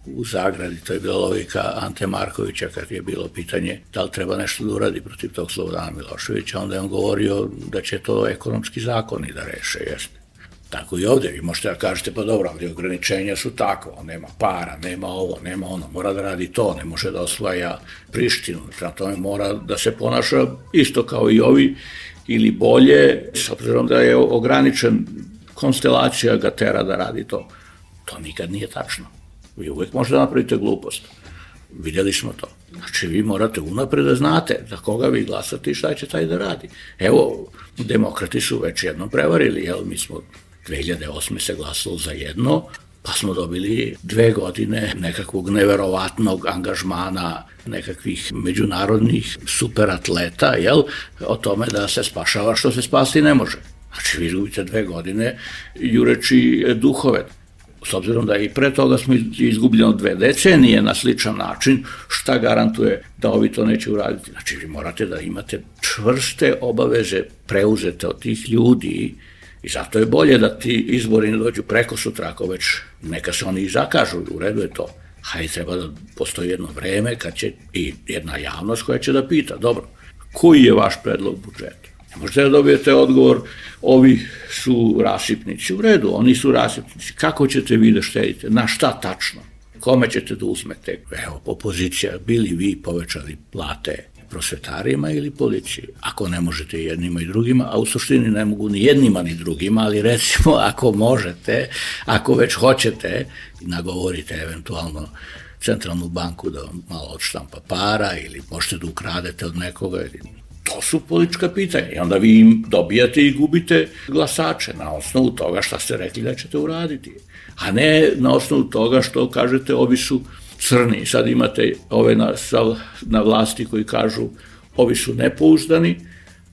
u zagradi, to je bila logika Ante Markovića kad je bilo pitanje da li treba nešto da uradi protiv tog Slobodana Miloševića, onda je on govorio da će to ekonomski zakoni da reše, jeste. Tako i ovdje, vi možete da kažete, pa dobro, ali ograničenja su takva, nema para, nema ovo, nema ono, mora da radi to, ne može da osvaja Prištinu, prema tome mora da se ponaša isto kao i ovi ili bolje, s obzirom da je ograničen, konstelacija ga tera da radi to. To nikad nije tačno. Vi uvijek možete da napravite glupost. Vidjeli smo to. Znači, vi morate unapred da znate za koga vi glasate i šta će taj da radi. Evo, demokrati su već jednom prevarili, jel, mi smo dve hiljade osme se glasalo za jedno, pa smo dobili dve godine nekakvog neverovatnog angažmana, nekakvih međunarodnih superatleta, jel, o tome da se spašava što se spasti ne može. Znači, vi gubite dve godine jureći duhove. S obzirom da i pre toga smo izgubljeno dve decenije na sličan način, šta garantuje da ovi to neće uraditi? Znači, vi morate da imate čvrste obaveze preuzete od tih ljudi i zato je bolje da ti izbori ne dođu preko sutra, ako već neka se oni i zakažu, u redu je to. Hajde, treba da postoji jedno vreme kad će i jedna javnost koja će da pita, dobro, koji je vaš predlog budžeta? Možete da dobijete odgovor, ovi su rasipnici. U redu, oni su rasipnici. Kako ćete vi da štedite? Na šta tačno? Kome ćete da uzmete? Evo, opozicija, bili vi povećali plate prosvetarima ili policiji? Ako ne možete jednima i drugima, a u suštini ne mogu ni jednima ni drugima, ali recimo ako možete, ako već hoćete, nagovorite eventualno centralnu banku da vam malo odštampa para ili možete da ukradete od nekoga. To su politička pitanja i onda vi im dobijate i gubite glasače na osnovu toga šta ste rekli da ćete uraditi, a ne na osnovu toga što kažete ovi su crni. Sad imate ove na, na vlasti koji kažu ovi su nepouzdani,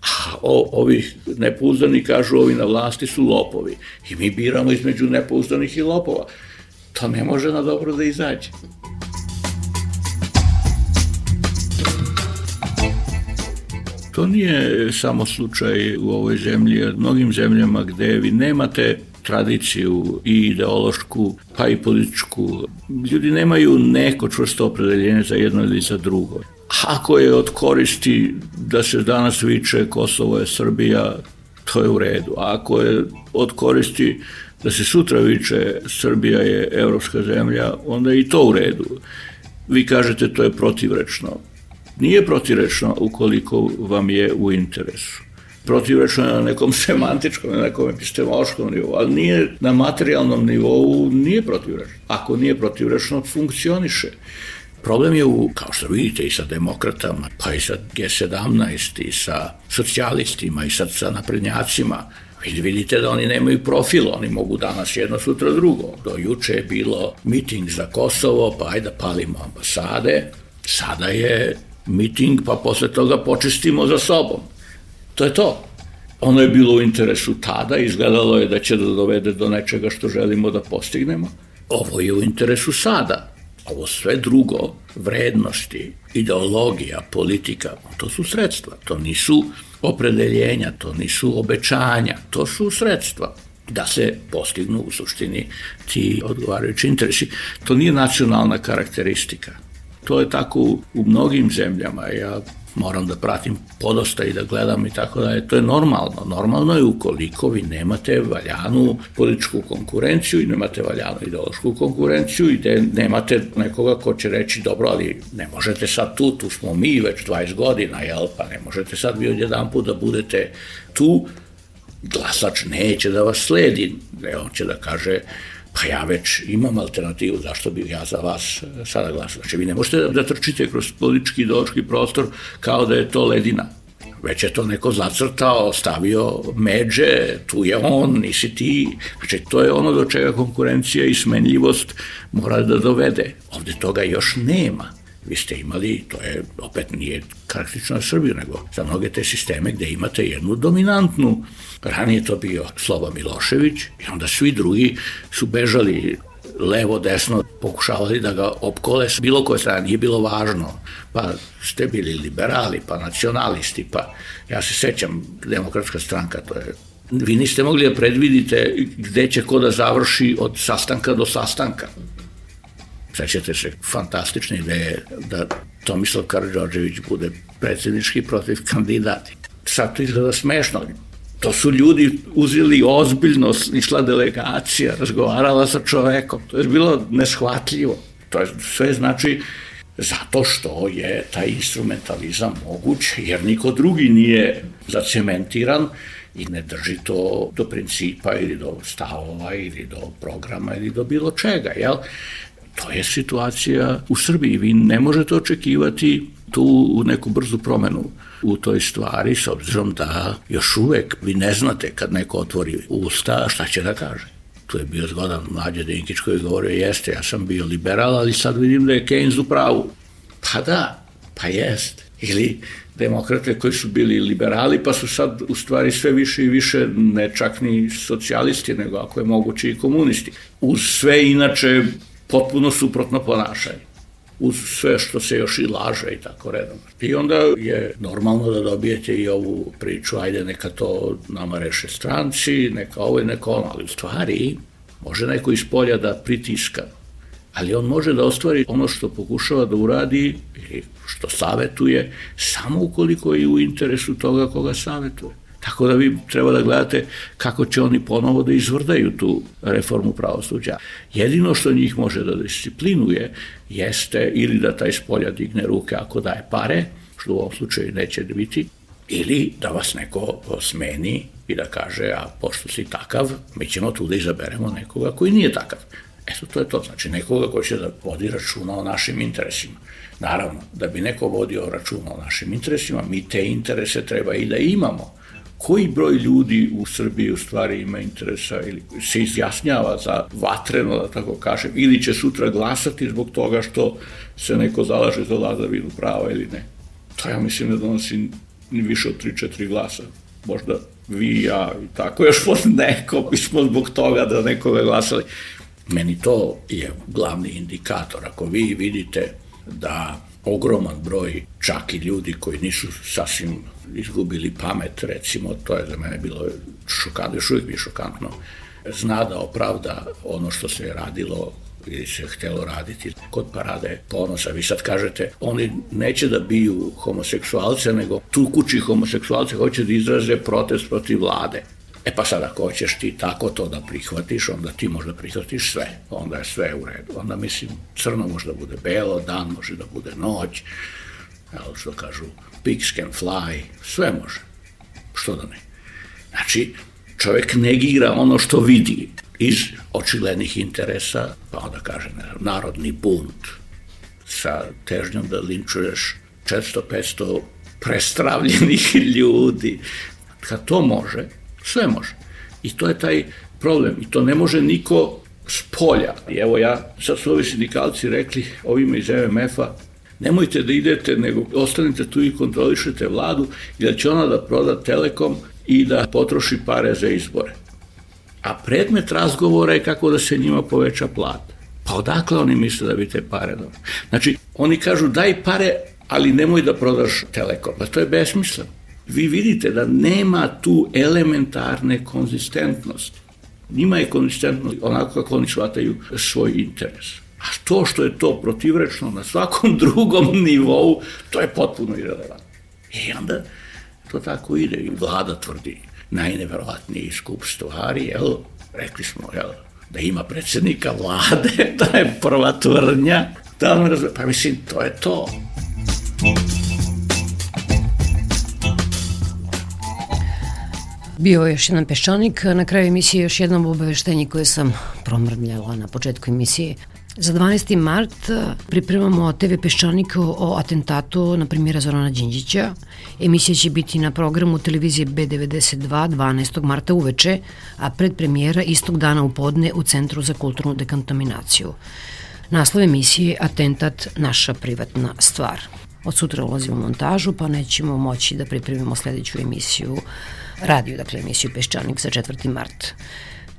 a o, ovi nepouzdani kažu ovi na vlasti su lopovi. I mi biramo između nepouzdanih i lopova. To ne može na dobro da izađe. To nije samo slučaj u ovoj zemlji, jer mnogim zemljama gde vi nemate tradiciju i ideološku, pa i političku, ljudi nemaju neko čvrsto opredeljenje za jedno ili za drugo. Ako je od koristi da se danas viče Kosovo je Srbija, to je u redu. A ako je od koristi da se sutra viče Srbija je evropska zemlja, onda je i to u redu. Vi kažete to je protivrečno. Nije protivrečno ukoliko vam je u interesu. Protivrečno je na nekom semantičkom, na nekom epistemološkom nivou, ali nije na materijalnom nivou, nije protivrečno. Ako nije protivrečno, funkcioniše. Problem je u, kao što vidite, i sa demokratama, pa i sa G sedamnaest, i sa socijalistima, i sa, sa naprednjacima. Vi vidite da oni nemaju profil, oni mogu danas jedno, sutra drugo. Do juče je bilo miting za Kosovo, pa ajde da palimo ambasade. Sada je miting, pa posle toga počistimo za sobom. To je to. Ono je bilo u interesu tada, izgledalo je da će da dovede do nečega što želimo da postignemo. Ovo je u interesu sada. Ovo sve drugo, vrednosti, ideologija, politika, to su sredstva. To nisu opredeljenja, to nisu obećanja, to su sredstva da se postignu u suštini ti odgovarajući interesi. To nije nacionalna karakteristika. To je tako u mnogim zemljama. Ja moram da pratim podosta i da gledam i tako da je to je normalno. Normalno je ukoliko vi nemate valjanu političku konkurenciju i nemate valjanu ideološku konkurenciju i da nemate nekoga ko će reći dobro, ali ne možete sad tu, tu smo mi već dvadeset godina, jel, pa ne možete sad vi odjedan put da budete tu, glasač neće da vas sledi, on će da kaže pa ja već imam alternativu, zašto bih ja za vas sada glasao. Znači, vi ne možete da trčite kroz politički ideološki prostor kao da je to ledina. Već je to neko zacrtao, stavio međe, tu je on, nisi ti. Znači, to je ono do čega konkurencija i smenljivost mora da dovede. Ovde toga još nema. Vi ste imali, to je opet nije karakteristično na Srbiju, nego za mnoge te sisteme gde imate jednu dominantnu. Ranije to bio Sloba Milošević i onda svi drugi su bežali levo, desno, pokušavali da ga opkole s bilo koje strane, nije bilo važno. Pa ste bili liberali, pa nacionalisti, pa ja se sećam, Demokratska stranka, to je vi niste mogli da predvidite gde će ko da završi od sastanka do sastanka. Sećate se fantastične ideje da Tomislav Karađorđević bude predsjednički protiv kandidati. Sad to izgleda smešno. To su ljudi uzeli ozbiljno, išla delegacija, razgovarala sa čovekom. To je bilo neshvatljivo. To je sve znači zato što je taj instrumentalizam moguć, jer niko drugi nije zacementiran i ne drži to do principa ili do stavova ili do programa ili do bilo čega, jel? To je situacija u Srbiji. Vi ne možete očekivati tu neku brzu promenu u toj stvari, s obzirom da još uvek vi ne znate kad neko otvori usta šta će da kaže. Tu je bio zgodan Mlađe Dinkić koji je govorio, jeste, ja sam bio liberal, ali sad vidim da je Keynes u pravu. Pa da, pa jest. Ili demokrate koji su bili liberali, pa su sad u stvari sve više i više ne čak ni socijalisti, nego ako je moguće i komunisti. Uz sve inače potpuno suprotno ponašanje. Uz sve što se još i laže i tako redom. I onda je normalno da dobijete i ovu priču, ajde neka to nama reše stranci, neka ovo i neka ono, ali u stvari može neko iz polja da pritiska, ali on može da ostvari ono što pokušava da uradi ili što savetuje, samo ukoliko je u interesu toga koga savetuje. Tako da vi treba da gledate kako će oni ponovo da izvrdaju tu reformu pravosuđa. Jedino što njih može da disciplinuje jeste ili da taj spolja digne ruke ako daje pare, što u ovom slučaju neće biti, ili da vas neko smeni i da kaže, a pošto si takav, mi ćemo tu da izaberemo nekoga koji nije takav. Eto, to je to, znači nekoga koji će da vodi računa o našim interesima. Naravno, da bi neko vodio računa o našim interesima, mi te interese treba i da imamo. Koji broj ljudi u Srbiji u stvari ima interesa ili se izjasnjava za vatreno, da tako kažem, ili će sutra glasati zbog toga što se neko zalaže za vladavinu prava ili ne. To ja mislim da donosi ni više od tri četiri glasa. Možda vi i ja i tako, još pod neko bismo zbog toga da nekoga glasali. Meni to je glavni indikator. Ako vi vidite da ogroman broj čak i ljudi koji nisu sasvim izgubili pamet, recimo, to je za mene bilo šokantno, još uvijek bi šokantno, zna da opravda ono što se je radilo ili se htelo raditi kod Parade ponosa. Vi sad kažete, oni neće da biju homoseksualce, nego tukući homoseksualce hoće da izraze protest protiv vlade. E pa sad ako hoćeš ti tako to da prihvatiš, onda ti možda prihvatiš sve, onda je sve u redu. Onda mislim, crno može da bude belo, dan može da bude noć, ali što kažu, pigs can fly, sve može, što da ne. Znači, čovjek negira ono što vidi iz očiglednih interesa, pa onda kaže, narodni bunt sa težnjom da linčuješ četiristo petsto prestravljenih ljudi. Kad to može, sve može. I to je taj problem. I to ne može niko s polja. I evo ja, sad su ovi sindikalci rekli, ovima iz E M F-a, nemojte da idete, nego ostanite tu i kontrolišete vladu, jer će ona da proda Telekom i da potroši pare za izbore. A predmet razgovora je kako da se njima poveća plata. Pa odakle oni misle da bi te pare dobro? Znači, oni kažu daj pare, ali nemoj da prodaš Telekom. Pa to je besmisleno. Vi vidite da nema tu elementarne konzistentnosti. Njima je konzistentnost onako kako oni shvataju svoj interes. A to što je to protivrečno na svakom drugom nivou, to je potpuno irelevantno. I onda to tako ide. I vlada tvrdi najneverovatniji skup stvari, jel? Rekli smo, jel, da ima predsjednika vlade, to je prva tvrdnja. Pa mislim, to je to. Bio je još jedan peščanik, na kraju emisije još jedno obaveštenje koje sam promrmljala na početku emisije. Za dvanaesti mart pripremamo te ve Peščanik o atentatu na premijera Zorana Đinđića. Emisija će biti na programu televizije B devedeset dva dvanaestog marta uveče, a predpremijera istog dana u podne u Centru za kulturnu dekontaminaciju. Naslov emisije Atentat, naša privatna stvar. Od sutra ulazimo u montažu, pa nećemo moći da pripremimo sledeću emisiju radio, dakle emisiju Peščanik za četvrti mart.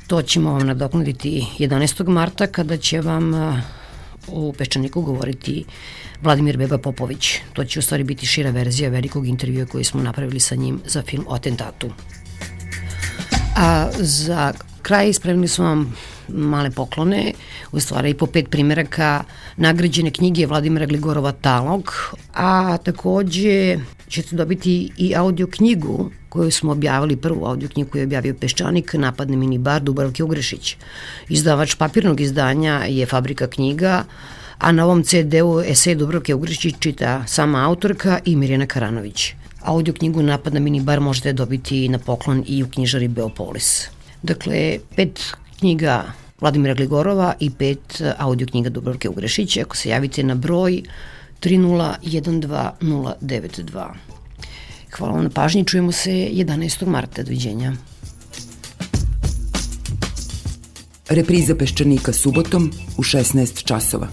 To ćemo vam nadoknaditi jedanaestog marta kada će vam u Peščaniku govoriti Vladimir Beba Popović. To će u stvari biti šira verzija velikog intervjua koji smo napravili sa njim za film o atentatu. A za kraj spremili smo vam male poklone, u stvari i po pet primjeraka nagrađene knjige Vladimira Gligorova Talog, a takođe ćete dobiti i audio knjigu koju smo objavili, prvu audio knjigu koju je objavio Peščanik, Napadne minibar Dubravke Ugrešić. Izdavač papirnog izdanja je Fabrika knjiga, a na ovom ce de-u esej Dubravke Ugrešić čita sama autorka i Mirjana Karanović. Audio knjigu Napad na minibar možete dobiti na poklon i u knjižari Beopolis. Dakle, pet knjiga Vladimira Gligorova i pet audio knjiga Dubravke Ugrešić. Ako se javite na broj tri nula jedan dva nula devet dva. Hvala vam na pažnji, čujemo se jedanaestog marta. Doviđenja. Repriza Peščanika subotom u šesnaest časova.